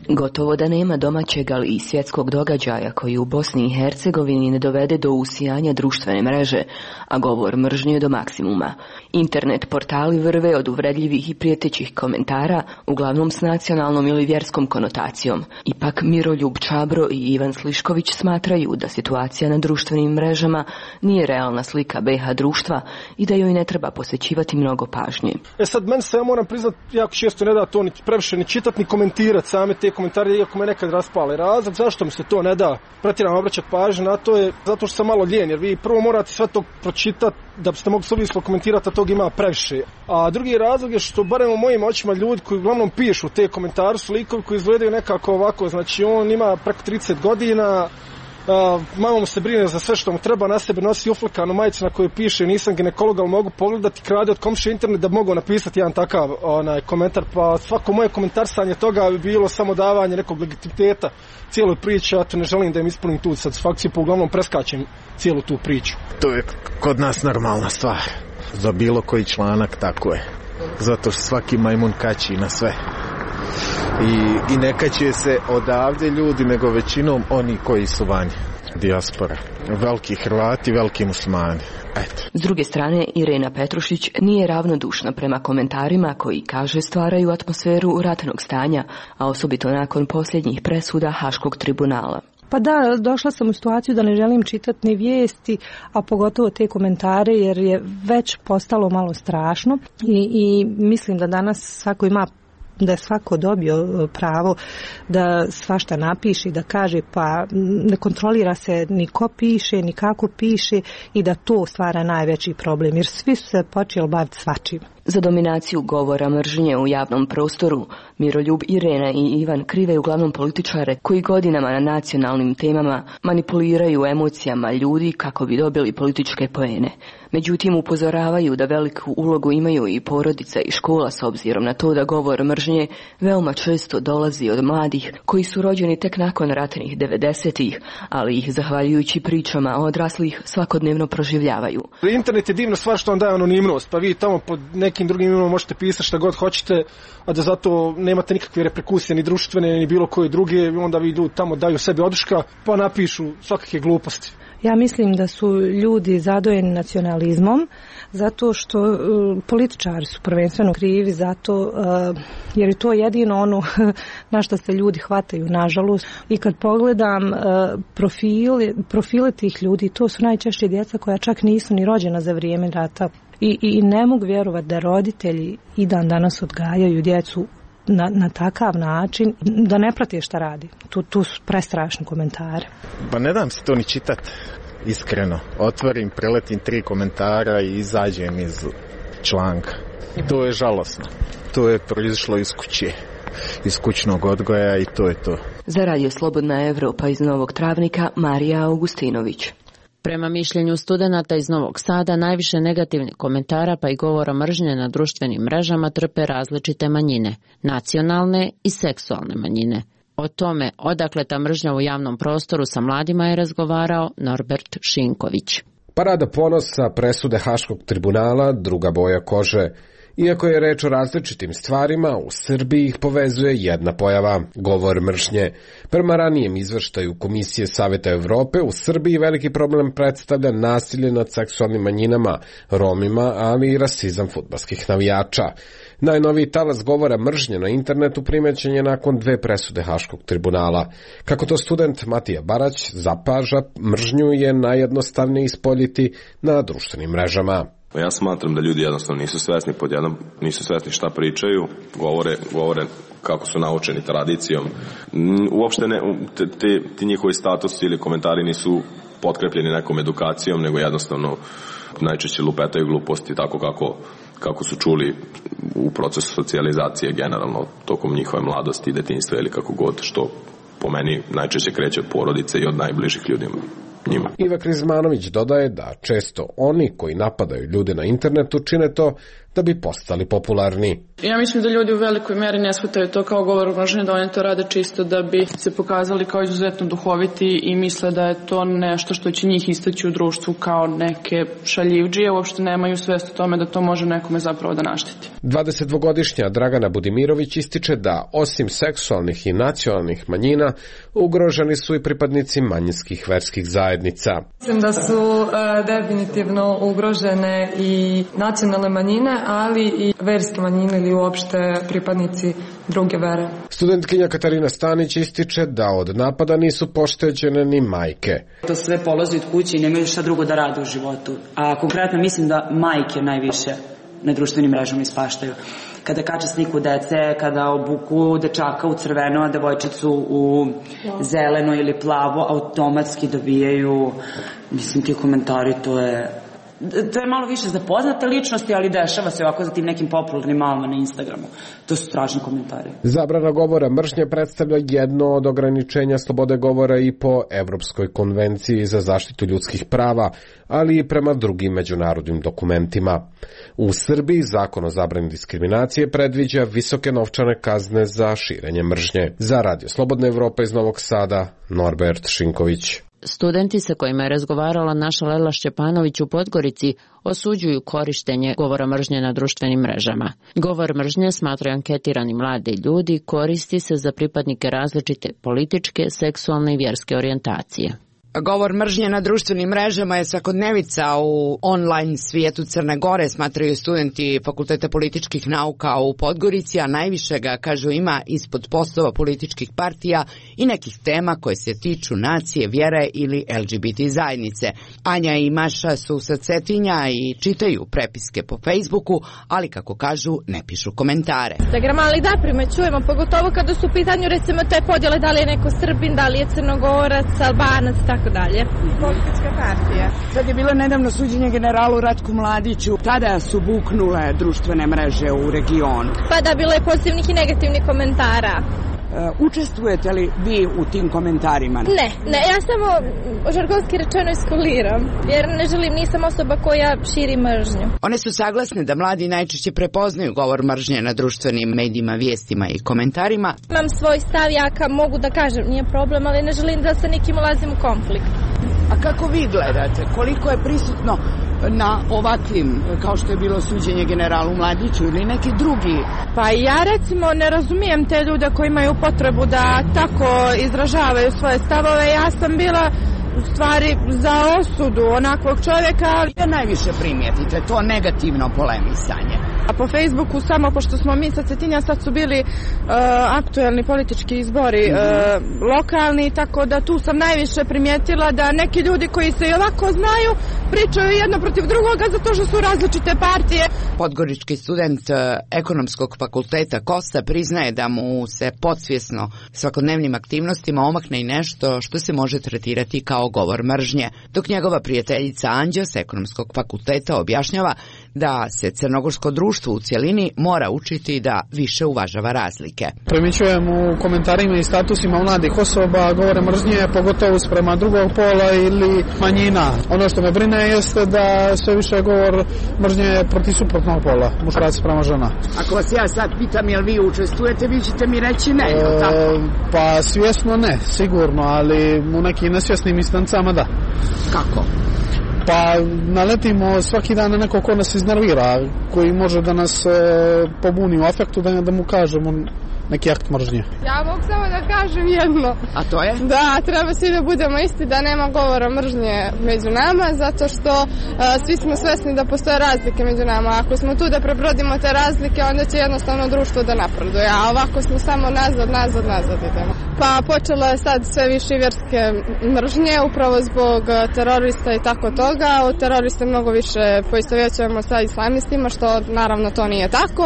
Gotovo da nema domaćeg, ali i svjetskog događaja koji u Bosni i Hercegovini ne dovede do usijanja društvene mreže, a govor mržnje do maksimuma. Internet portali vrve od uvredljivih i prijetećih komentara, uglavnom s nacionalnom ili vjerskom konotacijom. Ipak Miroljub Čabro i Ivan Slišković smatraju da situacija na društvenim mrežama nije realna slika B H društva i da joj ne treba posvećivati mnogo pažnje. E sad, meni se, ja moram priznat, jako često ne da to ni previše ni čitati ni komentirati same te komentari, iako me nekad raspale. Razlog zašto mi se to ne da pretjerano obraćati pažnju na to je zato što sam malo lijen, jer vi prvo morate sve to pročitati da biste mogli suvislo komentirati, a tog ima previše. A drugi razlog je što barem u mojim očima ljudi koji uglavnom pišu te komentare su likovi koji izgledaju nekako ovako, znači on ima preko trideset godina, Uh, mama mu se brine za sve što mu treba, na sebe nosi uflikanu majicu na kojoj piše nisam ginekolog, ali mogu pogledati, krade od komšije internet da mogu napisati jedan takav onaj komentar, pa svako moje komentarsanje toga bi bilo samo davanje nekog legitimiteta cijeloj priči, a to ne želim da im ispunim tu satisfakciju, pa uglavnom preskačem cijelu tu priču. To je kod nas normalna stvar, za bilo koji članak tako je, zato što svaki majmun kači na sve. I, i ne kaće se odavde ljudi, nego većinom oni koji su vanje, dijaspora. Veliki Hrvati, veliki muslimani. Eto. S druge strane, Irena Petrušić nije ravnodušna prema komentarima koji, kaže, stvaraju atmosferu ratnog stanja, a osobito nakon posljednjih presuda Haškog tribunala. Pa da, došla sam u situaciju da ne želim čitati ni vijesti, a pogotovo te komentare, jer je već postalo malo strašno i, i mislim da danas svako ima, da je svako dobio pravo da svašta napiše i da kaže, pa ne kontrolira se ni ko piše, ni kako piše i da to stvara najveći problem, jer svi su se počeli baviti svačim. Za dominaciju govora mržnje u javnom prostoru Miroljub, Irena i Ivan krive uglavnom političare koji godinama na nacionalnim temama manipuliraju emocijama ljudi kako bi dobili političke poene. Međutim, upozoravaju da veliku ulogu imaju i porodica i škola s obzirom na to da govor mržnje veoma često dolazi od mladih koji su rođeni tek nakon ratnih devedesetih, ali ih zahvaljujući pričama odraslih svakodnevno proživljavaju. Internet je divna stvar što on daje anonimnost, pa vi tamo pod nekim drugim imenom možete pisati šta god hoćete, a da zato nemate nikakve reperkusije ni društvene ni bilo koje druge, onda vi ljudi tamo daju sebi oduška pa napišu svakakve gluposti. Ja mislim da su ljudi zadojeni nacionalizmom zato što uh, političari su prvenstveno krivi zato uh, jer je to jedino ono na što se ljudi hvataju, nažalost. I kad pogledam uh, profile, profile tih ljudi, to su najčešće djeca koja čak nisu ni rođena za vrijeme rata. I, i ne mogu vjerovati da roditelji i dan danas odgajaju djecu na, na takav način da ne prate šta radi. Tu, tu su prestrašni komentari. Pa ne dam se to ni čitat, iskreno. Otvorim, preletim tri komentara i izađem iz članka. To je žalosno. To je proizašlo iz kuće, iz kućnog odgoja i to je to. Za Radio Slobodna Evropa iz Novog Travnika, Marija Augustinović. Prema mišljenju studenata iz Novog Sada, najviše negativnih komentara pa i govora mržnje na društvenim mrežama trpe različite manjine, nacionalne i seksualne manjine. O tome odakle ta mržnja u javnom prostoru sa mladima je razgovarao Norbert Šinković. Parada ponosa, presude Haškog tribunala, druga boja kože. Iako je reč o različitim stvarima, u Srbiji ih povezuje jedna pojava – govor mržnje. Prema ranijem izveštaju Komisije Saveta Evrope, u Srbiji veliki problem predstavlja nasilje nad seksualnim manjinama, Romima, ali i rasizam fudbalskih navijača. Najnoviji talas govora mržnje na internetu primećen je nakon dve presude Haškog tribunala. Kako to student Matija Barać zapaža, mržnju je najjednostavnije ispoljiti na društvenim mrežama. Ja smatram da ljudi jednostavno nisu svesni pod jednom, nisu svesni šta pričaju, govore, govore kako su naučeni tradicijom. Uopšte ne, te, te, ti njihovi statusi ili komentari nisu potkrepljeni nekom edukacijom, nego jednostavno najčešće lupetaju gluposti tako kako, kako su čuli u procesu socijalizacije generalno tokom njihove mladosti i detinjstva ili kako god, što po meni najčešće kreće od porodice i od najbližih ljudima. Njima. Iva Krizmanović dodaje da često oni koji napadaju ljude na internetu čine to da bi postali popularni. Ja mislim da ljudi u velikoj meri ne shvataju to kao govor mržnje, da oni to rade čisto da bi se pokazali kao izuzetno duhoviti i misle da je to nešto što će njih istaći u društvu kao neke šaljivdžije, uopšte nemaju svest o tome da to može nekome zapravo da našteti. dvadesetdvogodišnja Dragana Budimirović ističe da osim seksualnih i nacionalnih manjina ugroženi su i pripadnici manjinskih verskih zajednica. Mislim da su uh, definitivno ugrožene i nacionalne manjine, ali i verske manjine ili uopšte pripadnici druge vere. Studentkinja Katarina Stanić ističe da od napada nisu pošteđene ni majke. To sve polazi od kuće i nemaju šta drugo da rade u životu. A konkretno mislim da majke najviše na društvenim mrežama ispaštaju. Kada kače sliku dece, kada obuku dečaka u crveno, a devojčicu u zeleno ili plavo, automatski dobijaju, mislim, ti komentari, to je... To je malo više za poznate ličnosti, ali dešava se ovako za tim nekim popularnim malama na Instagramu. To su strašni komentari. Zabrana govora mržnje predstavlja jedno od ograničenja slobode govora i po Evropskoj konvenciji za zaštitu ljudskih prava, ali i prema drugim međunarodnim dokumentima. U Srbiji zakon o zabrani diskriminacije predviđa visoke novčane kazne za širenje mržnje. Za Radio Slobodna Evropa iz Novog Sada, Norbert Šinković. Studenti sa kojima je razgovarala naša Lela Šćepanović u Podgorici osuđuju korištenje govora mržnje na društvenim mrežama. Govor mržnje, smatraju anketirani mladi ljudi, koristi se za pripadnike različite političke, seksualne i vjerske orijentacije. Govor mržnje na društvenim mrežama je svakodnevica u online svijetu Crne Gore, smatraju studenti Fakulteta političkih nauka u Podgorici, a najviše ga, kažu, ima ispod postova političkih partija i nekih tema koje se tiču nacije, vjere ili L G B T zajednice. Anja i Maša su sa Cetinja i čitaju prepiske po Facebooku, ali kako kažu, ne pišu komentare. Instagram, ali da, primećujemo, pogotovo kada su u pitanju recimo te podjele, da li je neko Srbin, da li je Crnogorac, Albanac, tako dalje. Politička partija. Sad je bilo nedavno suđenje generalu Ratku Mladiću. Tada su buknule društvene mreže u regionu. Pa da, bilo je pozitivnih i negativnih komentara. Učestvujete li vi u tim komentarima? Ne, ne, ja samo žargonski rečeno iskuliram, jer ne želim, nisam osoba koja širi mržnju. One su saglasne da mladi najčešće prepoznaju govor mržnje na društvenim medijima, vijestima i komentarima. Imam svoj stav, ja ka mogu da kažem, nije problem, ali ne želim da sa nikim ulazim u konflikt. A kako vi gledate? Koliko je prisutno na ovakvim, kao što je bilo suđenje generalu Mladiću ili neki drugi? Pa ja recimo ne razumijem te ljude koji imaju potrebu da tako izražavaju svoje stavove. Ja sam bila u stvari za osudu onakvog čovjeka. Ja najviše primijetite to negativno polemisanje. A po Facebooku, samo pošto smo mi sa Cetinja, sad su bili uh, aktuelni politički izbori uh, lokalni, tako da tu sam najviše primijetila da neki ljudi koji se i ovako znaju pričaju jedno protiv drugoga zato što su različite partije. Podgorički student ekonomskog fakulteta Kosta priznaje da mu se podsvjesno svakodnevnim aktivnostima omakne i nešto što se može tretirati kao govor mržnje, dok njegova prijateljica Anđa s ekonomskog fakulteta objašnjava da se crnogorsko društvo u cjelini mora učiti da više uvažava razlike. Primjećujem u komentarima i statusima mladih osoba govore mržnje, pogotovo sprema drugog pola ili manjina. Ono što me brine jeste da sve više govor mržnje protiv suprotnog pola, muškarac sprema žena. Ako vas ja sad pitam jel vi učestvujete, vi ćete mi reći ne, je li tako? E, pa svjesno ne, sigurno, ali u nekim nesvjesnim instancama da. Kako? Pa naletimo svaki dan na neko ko nas iznervira, koji može da nas e, pobuni u afektu, da, da mu kažemo neki akt mržnje. Ja mogu samo da kažem jedno. A to je? Da, treba svi da budemo isti, da nema govora mržnje među nama, zato što uh, svi smo svesni da postoje razlike među nama. Ako smo tu da prebrodimo te razlike, onda će jednostavno društvo da napreduje, a ovako smo samo nazad, nazad, nazad idemo. Pa počelo je sad sve više vjerske mržnje, upravo zbog terorista i tako toga. Od terorista mnogo više poistovjećujemo sa islamistima, što naravno to nije tako,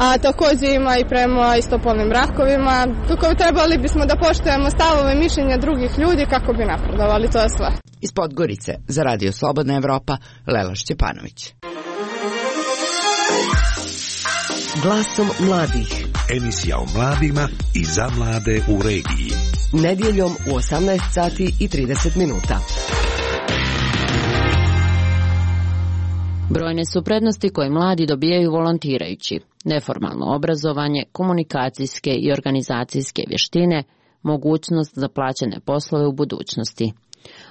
a također ima i prema istopolnim brakovima. Kako trebali bismo da poštujemo stavove mišljenja drugih ljudi kako bi napredovali, to je sve. Iz Podgorice za Radio Slobodna Evropa, Lela Šćepanović. Glasom mladih. Emisija o mladima i za mlade u regiji. Nedjeljom u osamnaest sati i trideset minuta. Brojne su prednosti koje mladi dobijaju volontirajući. Neformalno obrazovanje, komunikacijske i organizacijske vještine, mogućnost za plaćene poslove u budućnosti.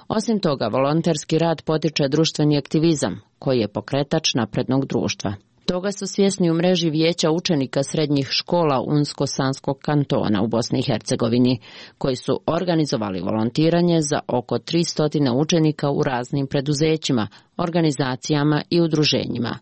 Osim toga, volonterski rad potiče društveni aktivizam, koji je pokretač naprednog društva. Toga su svjesni u mreži vijeća učenika srednjih škola Unsko-Sanskog kantona u Bosni i Hercegovini, koji su organizovali volontiranje za oko tristo učenika u raznim preduzećima, organizacijama i udruženjima.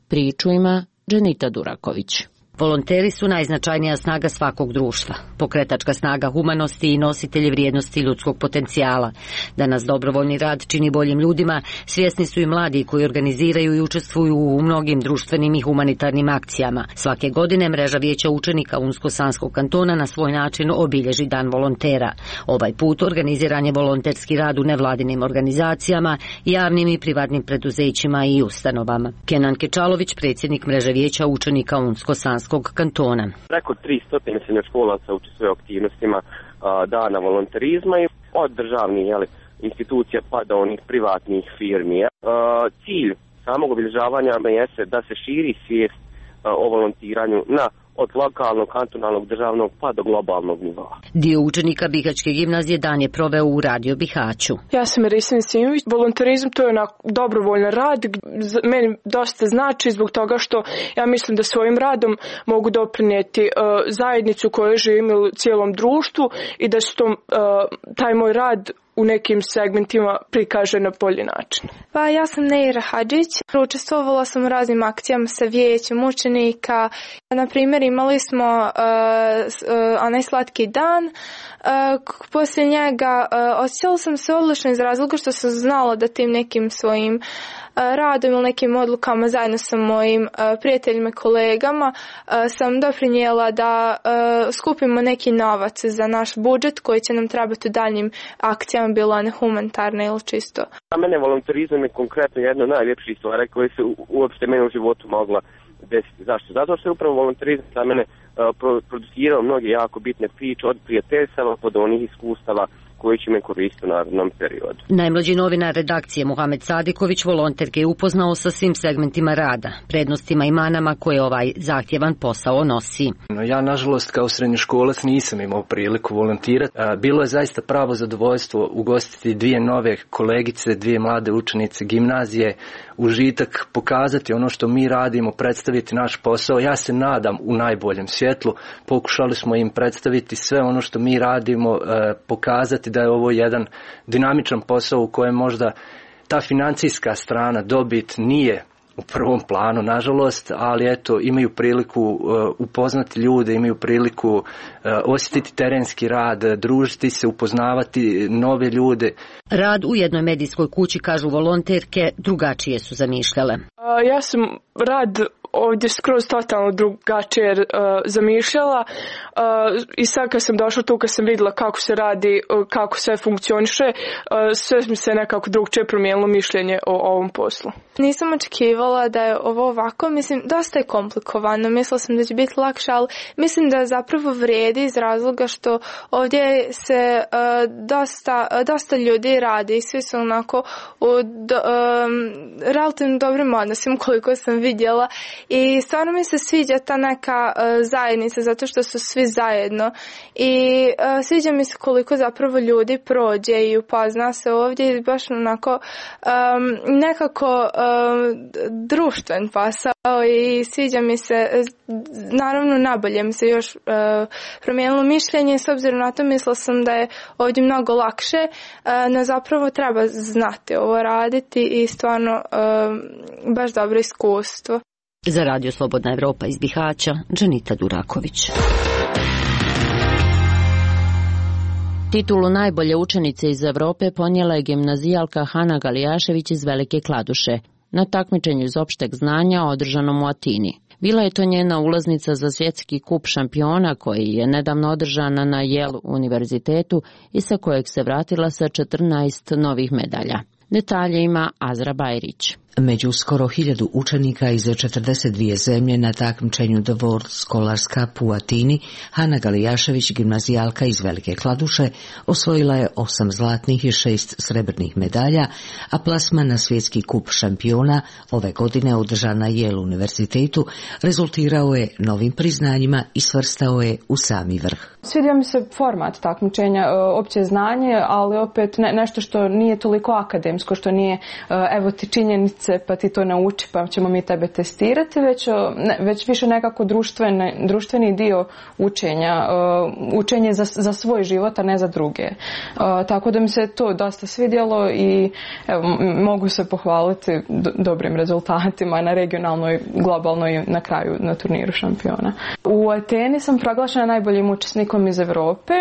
Priču ima Dženita Duraković. Volonteri su najznačajnija snaga svakog društva, pokretačka snaga humanosti i nositelji vrijednosti ljudskog potencijala. Da nas dobrovoljni rad čini boljim ljudima, svjesni su i mladi koji organiziraju i učestvuju u mnogim društvenim i humanitarnim akcijama. Svake godine mreža vijeća učenika Unsko-Sanskog kantona na svoj način obilježi dan volontera. Ovaj put organiziran je volonterski rad u nevladinim organizacijama, javnim i privatnim preduzećima i ustanovama. Kenan Kečalović, predsjednik mreže vijeća učenika Unsko-Sanskog kantona. Preko tristo srednjoškolaca učestvuje u aktivnostima a, dana volonterizma i od državnih jeli, institucija pa do onih privatnih firmi. A, cilj samog obilježavanja jeste da se širi svijest a, o volontiranju na od lokalnog, kantonalnog, državnog pa do globalnog nivoa. Dio učenika Bihaćke gimnazije dan je proveo u Radio Bihaću. Ja sam Erisin Simović. Volonterizam to je onak dobrovoljan rad. Meni dosta znači zbog toga što ja mislim da svojim radom mogu doprinijeti uh, zajednicu koju živim u cijelom društvu i da što uh, taj moj rad u nekim segmentima prikaže na bolji način. Pa ja sam Neira Hadžić. Učestvovala sam u raznim akcijama sa vijećem učenika. Na primjer, imali smo uh, uh, onaj slatki dan. Uh, poslije njega uh, osjećala sam se odlično iz razloga što sam znala da tim nekim svojim radom ili nekim odlukama zajedno sa mojim uh, prijateljima i kolegama uh, sam doprinijela da uh, skupimo neki novac za naš budžet koji će nam trebati u daljnjim akcijama, bilo one humanitarne ili čisto. Za mene volonterizam je konkretno jedna od najljepših stvari koje se u, uopšte meni u životu mogla desiti. Zašto? Zato što je upravo volonterizam za mene uh, producirao mnoge jako bitne priče od prijateljstava pod onih iskustava koji će me koristiti u narednom periodu. Najmlađi novinar redakcije Muhamed Sadiković volonterke je upoznao sa svim segmentima rada, prednostima i manama koje ovaj zahtjevan posao nosi. Ja, nažalost, kao srednjoškolac nisam imao priliku volontirati. Bilo je zaista pravo zadovoljstvo ugostiti dvije nove kolegice, dvije mlade učenice gimnazije, užitak pokazati ono što mi radimo, predstaviti naš posao. Ja se nadam u najboljem svjetlu. Pokušali smo im predstaviti sve ono što mi radimo, pokazati da je ovo jedan dinamičan posao u kojem možda ta financijska strana, dobit nije u prvom planu, nažalost, ali eto, imaju priliku uh, upoznati ljude, imaju priliku uh, osjetiti terenski rad, družiti se, upoznavati nove ljude. Rad u jednoj medijskoj kući, kažu volonterke, drugačije su zamišljale. Uh, ja sam rad ovdje skroz totalno drugačije uh, zamišljala uh, i sad kad sam došla tu, kad sam vidjela kako se radi, uh, kako sve funkcioniše, uh, sve mi se nekako drugčije promijenilo mišljenje o, o ovom poslu. Nisam očekivala da je ovo ovako, mislim, dosta je komplikovano, mislila sam da će biti lakše, ali mislim da zapravo vrijedi iz razloga što ovdje se uh, dosta, uh, dosta ljudi radi i svi su onako u do, um, relativno dobrim odnosima koliko sam vidjela. I stvarno mi se sviđa ta neka uh, zajednica zato što su svi zajedno i uh, sviđa mi se koliko zapravo ljudi prođe i upozna se ovdje i baš onako um, nekako um, društven posao i sviđa mi se, naravno nabolje mi se još uh, promijenilo mišljenje, s obzirom na to mislila sam da je ovdje mnogo lakše, uh, no zapravo treba znati ovo raditi i stvarno uh, baš dobro iskustvo. Za Radio Slobodna Evropa iz Bihaća, Džanita Duraković. Titulu najbolje učenice iz Evrope ponijela je gimnazijalka Hana Galijašević iz Velike Kladuše na takmičenju iz opšteg znanja održanom u Atini. Bila je to njena ulaznica za svjetski kup šampiona koji je nedavno održan na Yale univerzitetu i sa kojeg se vratila sa četrnaest novih medalja. Detalje ima Azra Bajrić. Među skoro hiljadu učenika iz četrdeset dvije zemlje na takmičenju The World Scholars Cup u Atini, Hana Galijašević, gimnazijalka iz Velike Kladuše, osvojila je osam zlatnih i šest srebrnih medalja, a plasman na svjetski kup šampiona ove godine održan na Yale univerzitetu rezultirao je novim priznanjima i svrstao je u sami vrh. Svidio mi se format takmičenja, opće znanje, ali opet ne, nešto što nije toliko akademsko, što nije evo ti činjenice pa ti to nauči pa ćemo mi tebe testirati, već, ne, već više nekako društveni, društveni dio učenja, uh, učenje za, za svoj život, a ne za druge. Uh, tako da mi se to dosta svidjelo i evo, mogu se pohvaliti do, dobrim rezultatima na regionalnoj, globalnoj i na kraju na turniru šampiona. U Ateni sam proglašena najboljim učesnikom iz Europe.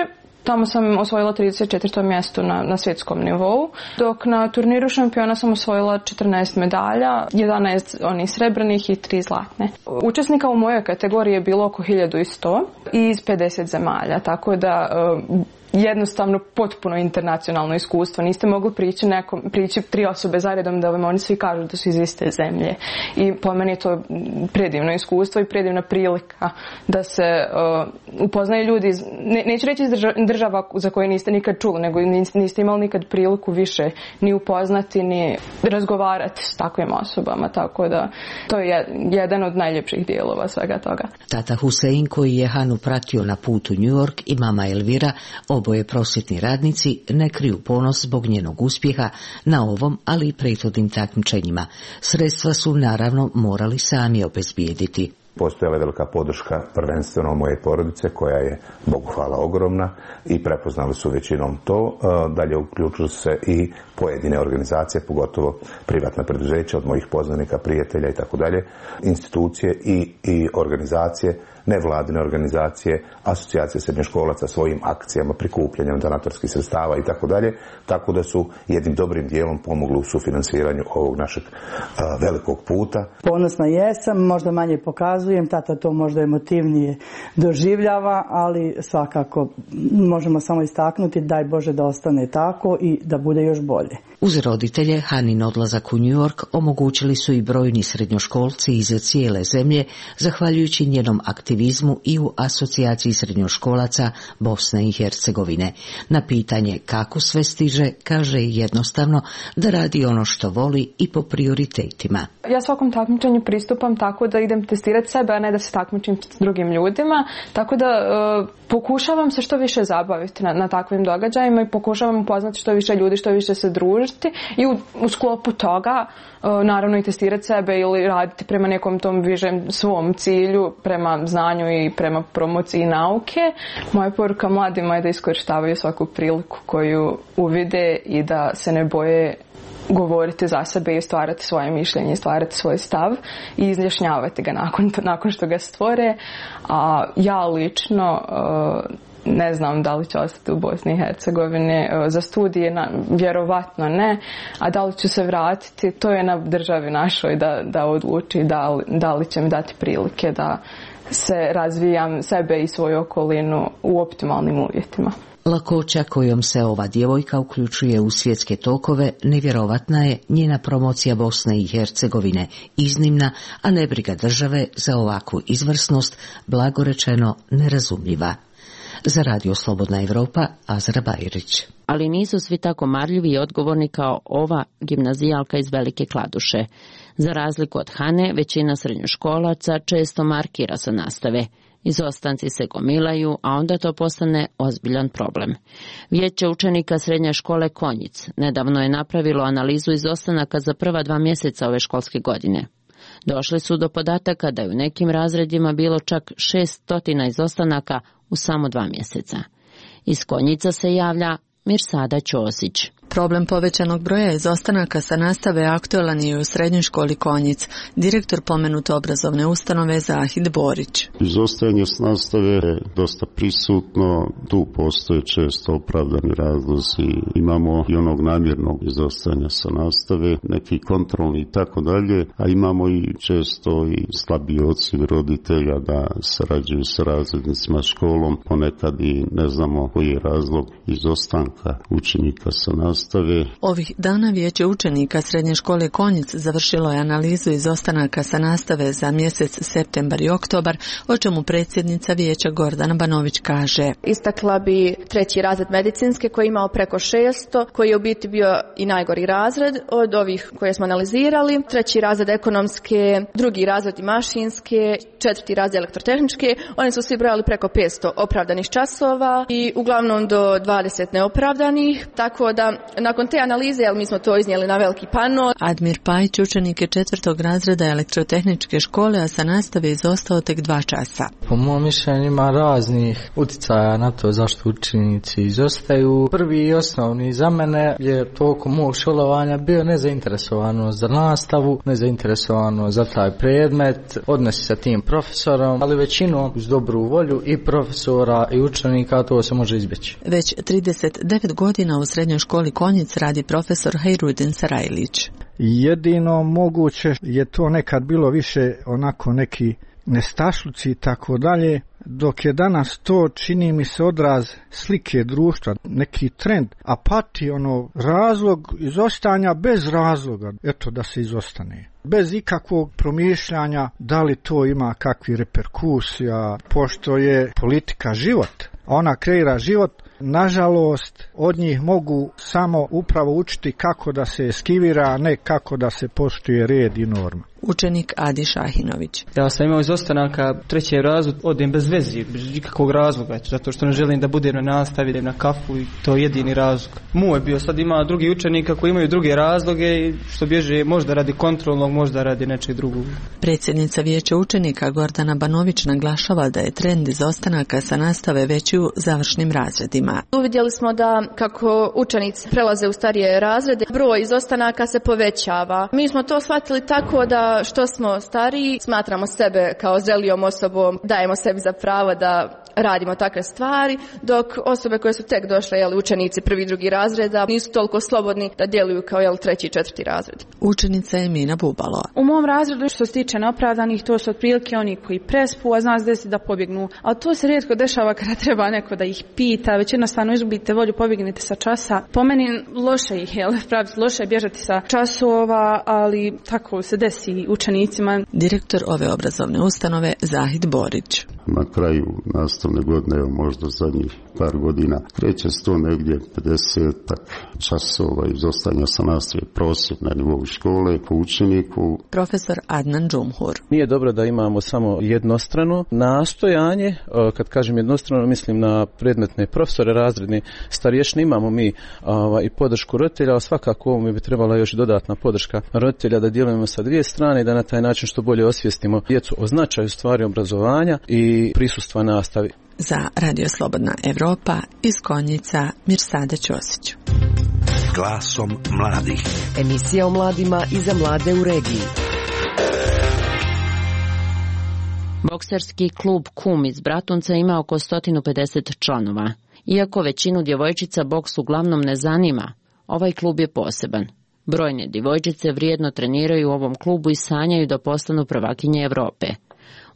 Tamo sam osvojila trideset četvrto mjesto na, na svjetskom nivou, dok na turniru šampiona sam osvojila četrnaest medalja, jedanaest onih srebrnih i tri zlatne. Učesnika u mojoj kategoriji je bilo oko hiljadu sto iz pedeset zemalja, tako da jednostavno potpuno internacionalno iskustvo. Niste mogli prići, nekom, prići tri osobe zaredom da vam oni svi kažu da su iz iste zemlje. I po meni je to predivno iskustvo i predivna prilika da se uh, upoznaju ljudi, iz, ne, neću reći iz država za koje niste nikad čuli, nego niste imali nikad priliku više ni upoznati, ni razgovarati s takvim osobama. Tako da to je jedan od najljepših dijelova svega toga. Tata Husein, koji je Hanu pratio na putu u New York, i mama Elvira, oboje prosvjetni radnici, ne kriju ponos zbog njenog uspjeha na ovom, ali i prethodnim takmičenjima. Sredstva su naravno morali sami obezbijediti. Postojala je velika podrška prvenstveno moje porodice koja je, Bogu hvala, ogromna i prepoznali su većinom to. Dalje uključuju se i pojedine organizacije, pogotovo privatna preduzeća od mojih poznanika, prijatelja i tako dalje, institucije i, i organizacije, nevladine organizacije, asocijacije srednjoškolaca svojim akcijama, prikupljanjem donatorskih sredstava i tako dalje, tako da su jednim dobrim dijelom pomogli u sufinansiranju ovog našeg a, velikog puta. Ponosna jesam, možda manje pokazujem, tata to možda emotivnije doživljava, ali svakako možemo samo istaknuti, daj Bože da ostane tako i da bude još bolje. Uz roditelje, Hanin odlazak u New York omogućili su i brojni srednjoškolci iz cijele zemlje, zahvaljujući njenom aktivizmu i u asocijaciji srednjoškolaca Bosne i Hercegovine. Na pitanje kako sve stiže, kaže jednostavno da radi ono što voli i po prioritetima. Ja svakom takmičenju pristupam tako da idem testirati sebe, a ne da se takmičim s drugim ljudima, tako da e, pokušavam se što više zabaviti na, na takvim događajima i pokušavam upoznati što više ljudi, što više se družiti i u, u sklopu toga e, naravno i testirati sebe ili raditi prema nekom tom višem svom cilju, prema znanju i prema promociji nauke. Moja poruka mladima je da iskorištavaju svaku priliku koju uvide i da se ne boje govoriti za sebe i stvarati svoje mišljenje, stvarati svoj stav i izjašnjavati ga nakon, nakon što ga stvore. A ja lično uh, ne znam da li ću ostati u Bosni i Hercegovini uh, za studije, na, vjerovatno ne, a da li ću se vratiti, to je na državi našoj da, da odluči da li, da li će mi dati prilike da se razvijam sebe i svoju okolinu u optimalnim uvjetima. Lakoća kojom se ova djevojka uključuje u svjetske tokove nevjerovatna je njena promocija Bosne i Hercegovine, iznimna, a nebriga države za ovakvu izvrsnost, blagorečeno nerazumljiva. Za Radio Slobodna Evropa, Azra Bajrić. Ali nisu svi tako marljivi i odgovorni kao ova gimnazijalka iz Velike Kladuše. Za razliku od Hane, većina srednjoškolaca često markira sa nastave. Izostanci se gomilaju, a onda to postane ozbiljan problem. Vijeće učenika srednje škole Konjic nedavno je napravilo analizu izostanaka za prva dva mjeseca ove školske godine. Došli su do podataka da je u nekim razredima bilo čak šeststotina izostanaka u samo dva mjeseca. Iz Konjica se javlja Mirsada Ćosić. Problem povećanog broja izostanaka sa nastave aktualan je u srednjoj školi Konjic. Direktor pomenute obrazovne ustanove Zahid Borić. Izostajanje s nastave je dosta prisutno, tu postoje često opravdani razlozi. Imamo i onog namjernog izostajanja sa nastave, neki kontrolni i tako dalje, a imamo i često i slabiji odsud roditelja da sarađuju sa razrednicima školom, ponekad i ne znamo koji je razlog izostanka učenika sa nastave. Ovih dana Vijeće učenika srednje škole Konjic završilo je analizu izostanaka sa nastave za mjesec septembar i oktobar, o čemu predsjednica Vijeća Gordana Banović kaže. Istakla bi treći razred medicinske koji je imao preko šesto, koji je u biti bio i najgori razred od ovih koje smo analizirali. Treći razred ekonomske, drugi razred i mašinske, četvrti razred elektrotehničke. Oni su svi brojali preko petsto opravdanih časova i uglavnom do dvadeset neopravdanih, tako da nakon te analize, ali mi smo to iznijeli na veliki pano. Admir Pajić, učenik je četvrtog razreda elektrotehničke škole, a sa nastave izostao tek dva časa. Po mom mišljenju ima raznih uticaja na to zašto učenici izostaju. Prvi i osnovni za mene je tokom mog školovanja bio nezainteresovanost za nastavu, nezainteresovanost za taj predmet, odnosi sa tim profesorom, ali većinom uz dobru volju i profesora i učenika to se može izbjeći. Već trideset devet godina u srednjoj školi Konjic radi profesor Hejrudin Sarajlić. Jedino moguće je to nekad bilo više onako neki nestašluci i tako dalje, dok je danas to, čini mi se, odraz slike društva, neki trend, apati, ono, razlog izostajanja bez razloga, eto da se izostane. Bez ikakvog promišljanja da li to ima kakvi reperkusija, pošto je politika život, ona kreira život. Nažalost, od njih mogu samo upravo učiti kako da se eskivira, a ne kako da se poštuje red i norma. učenik Adi Šahinović. Ja sam imao izostanaka treći razred, odem bez veze, bez ikakvog razloga, zato što ne želim da budem na nastavi, idem na kafu i to je jedini razlog. Mu je bio, sad ima drugi učenika koji imaju druge razloge i što bježe možda radi kontrolnog, možda radi nečeg drugog. Predsjednica vijeća učenika Gordana Banović naglašava da je trend izostanaka sa nastave veći u završnim razredima. Uvidjeli smo da kako učenici prelaze u starije razrede, broj izostanaka se povećava. Mi smo to shvatili tako da što smo stariji, smatramo sebe kao zrelijom osobom, dajemo sebi za pravo da radimo takve stvari, dok osobe koje su tek došle, jel, učenici prvi, drugi razreda, nisu toliko slobodni da djeluju kao, jel, treći i četvrti razred. Učenica je Mina Bubalo. U mom razredu što se tiče neopravdanih, to su otprilike oni koji prespu, a zna se desi da pobjegnu. A to se rijetko dešava kada treba neko da ih pita, već jednostavno izgubite volju, pobjegnete sa časa. Po meni loše ih je, praviti, loše je bježati sa časova, ali tako se desi učenicima. Direktor ove obrazovne ustanove Zahid Borić. Na kraju nastavne godine, evo možda zadnjih par godina, kreće se to negdje pedesetak časova izostanja sa nastave, prosjek na nivou škole po učeniku. Profesor Adnan Džumhur. Nije dobro da imamo samo jednostrano nastojanje, kad kažem jednostrano mislim na predmetne profesore, razredne starješne, imamo mi i podršku roditelja, ali svakako ovome bi trebala još dodatna podrška roditelja da djelujemo sa dvije strane i da na taj način što bolje osvijestimo djecu o značaju stvari obrazovanja i prisustva nastavi. Za Radio Slobodna Evropa iz Konjica Mirsada Ćosić. Glasom mladih. Emisija o mladima i za mlade u regiji. Bokserski klub Kum iz Bratunca ima oko sto pedeset članova. Iako većinu djevojčica boks uglavnom ne zanima, ovaj klub je poseban. Brojne djevojčice vrijedno treniraju u ovom klubu i sanjaju da postanu prvakinje Evrope.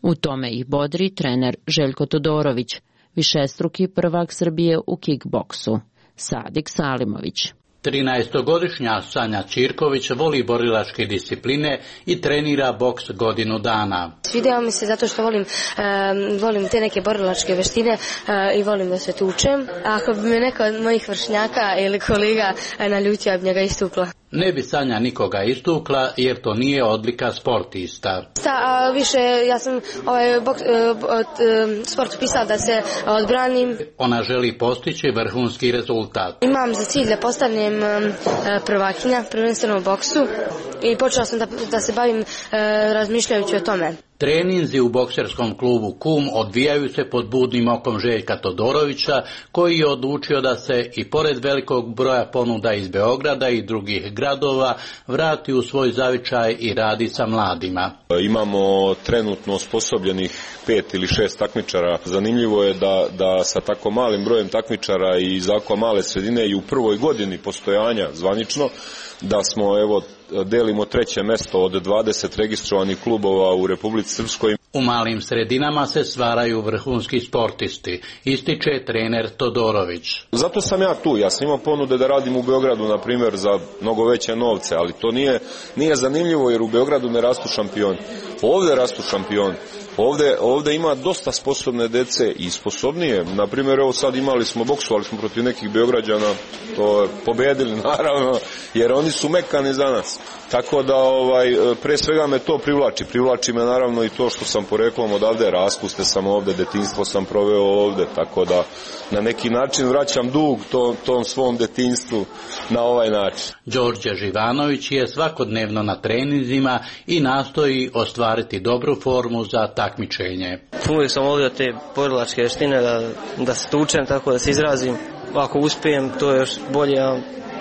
U tome ih bodri trener Željko Todorović, višestruki prvak Srbije u kickboksu. Sadik Salimović. trinaestogodišnja Sanja Ćirković voli borilačke discipline i trenira boks godinu dana. Svidjelo mi se zato što volim, um, volim te neke borilačke veštine uh, i volim da se tučem. Ako bi me neko od mojih vršnjaka ili kolega naljutio, ja bi njega istukla. Ne bi Sanja nikoga istukla jer to nije odlika sportista. Sta, a više ja sam ovaj boks, uh, uh, sport pisala da se odbranim. Ona želi postići vrhunski rezultat. Imam za cilj da postanem um, prvakinja, prvenstveno u boksu i počela sam da, da se bavim uh, razmišljajući o tome. Treninzi u bokserskom klubu Kum odvijaju se pod budnim okom Željka Todorovića, koji je odlučio da se i pored velikog broja ponuda iz Beograda i drugih gradova vrati u svoj zavičaj i radi sa mladima. Imamo trenutno osposobljenih pet ili šest takmičara. Zanimljivo je da, da sa tako malim brojem takmičara i iz ovako male sredine i u prvoj godini postojanja zvanično, da smo evo delimo treće mesto od dvadeset registrovanih klubova u Republici Srpskoj. U malim sredinama se stvaraju vrhunski sportisti, ističe trener Todorović. Zato sam ja tu, ja sam imao ponude da radim u Beogradu, na primjer, za mnogo veće novce, ali to nije, nije zanimljivo jer u Beogradu ne rastu šampioni. Ovdje rastu šampioni. Ovdje, ovdje ima dosta sposobne dece i sposobnije. Na primjer, evo sad imali smo boksovali smo protiv nekih Beograđana, to pobedili naravno, jer oni su mekani za nas. Tako da ovaj, pre svega me to privlači. Privlači me naravno i to što sam poreklom odavde, raspuste sam ovdje, detinjstvo sam proveo ovdje, tako da na neki način vraćam dug to, tom svom detinjstvu na ovaj način. Đorđe Živanović je svakodnevno na treninzima i nastoji ostvariti dobru formu za takmičenje. Uvijek sam volio te borilačke vještine, da, da se tučem, tako da se izrazim. Ako uspijem, to je još bolje, a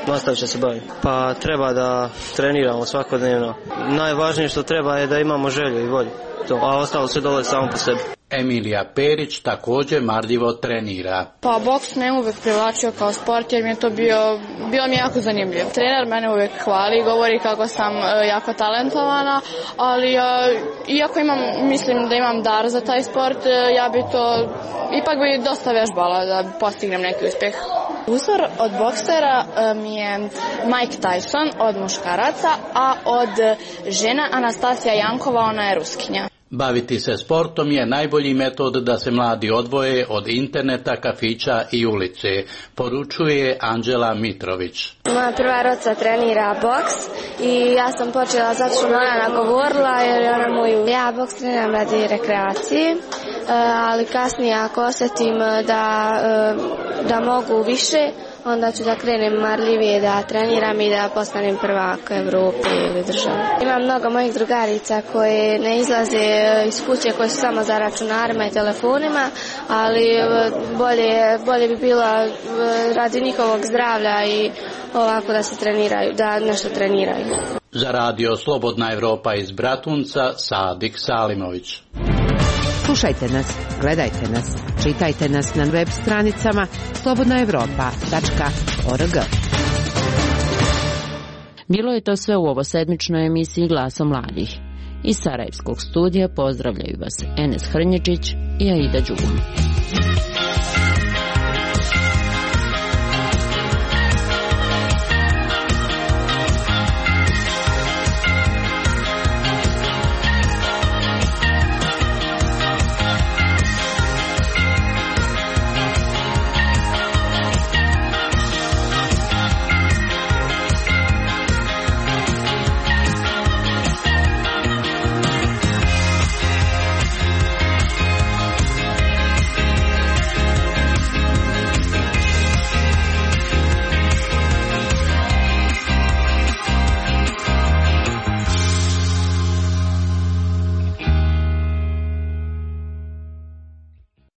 nastavit će se baviti. Pa treba da treniramo svakodnevno. Najvažnije što treba je da imamo želju i volju. To, a ostalo se dolazi samo po sebi. Emilija Perić također marljivo trenira. Pa boks me uvijek privlačio kao sport jer mi je to bio, bilo mi je jako zanimljivo. Trener mene uvijek hvali i govori kako sam jako talentovana, ali iako imam, mislim da imam dar za taj sport, ja bi to, ipak bi dosta vežbala da postignem neki uspjeh. Uzor od boksera mi je Mike Tyson od muškaraca, a od žena Anastasija Jankova, ona je Ruskinja. Baviti se sportom je najbolji metod da se mladi odvoje od interneta, kafića i ulice, poručuje Anđela Mitrović. Moja prva roca trenira boks i ja sam počela zato što me ona nagovorila jer je ona moju. Ja boks treniram radi rekreacije, ali kasnije ako osjetim da, da mogu više, onda ću da krenem marljivije da treniram i da postanem prvak Evrope ili države. Imam mnogo mojih drugarica koje ne izlaze iz kuće, koje su samo za računarima i telefonima, ali bolje, bolje bi bilo radi njihovog zdravlja i ovako da se treniraju, da nešto treniraju. Za radio Slobodna Evropa iz Bratunca, Sadik Salimović. Slušajte nas, gledajte nas, čitajte nas na web stranicama slobodna evropa tačka org. Bilo je to sve u ovosedmičnoj emisiji Glasa mladih. Iz Sarajevskog studija pozdravljaju vas Enes Hrnječić i Aida Đugum.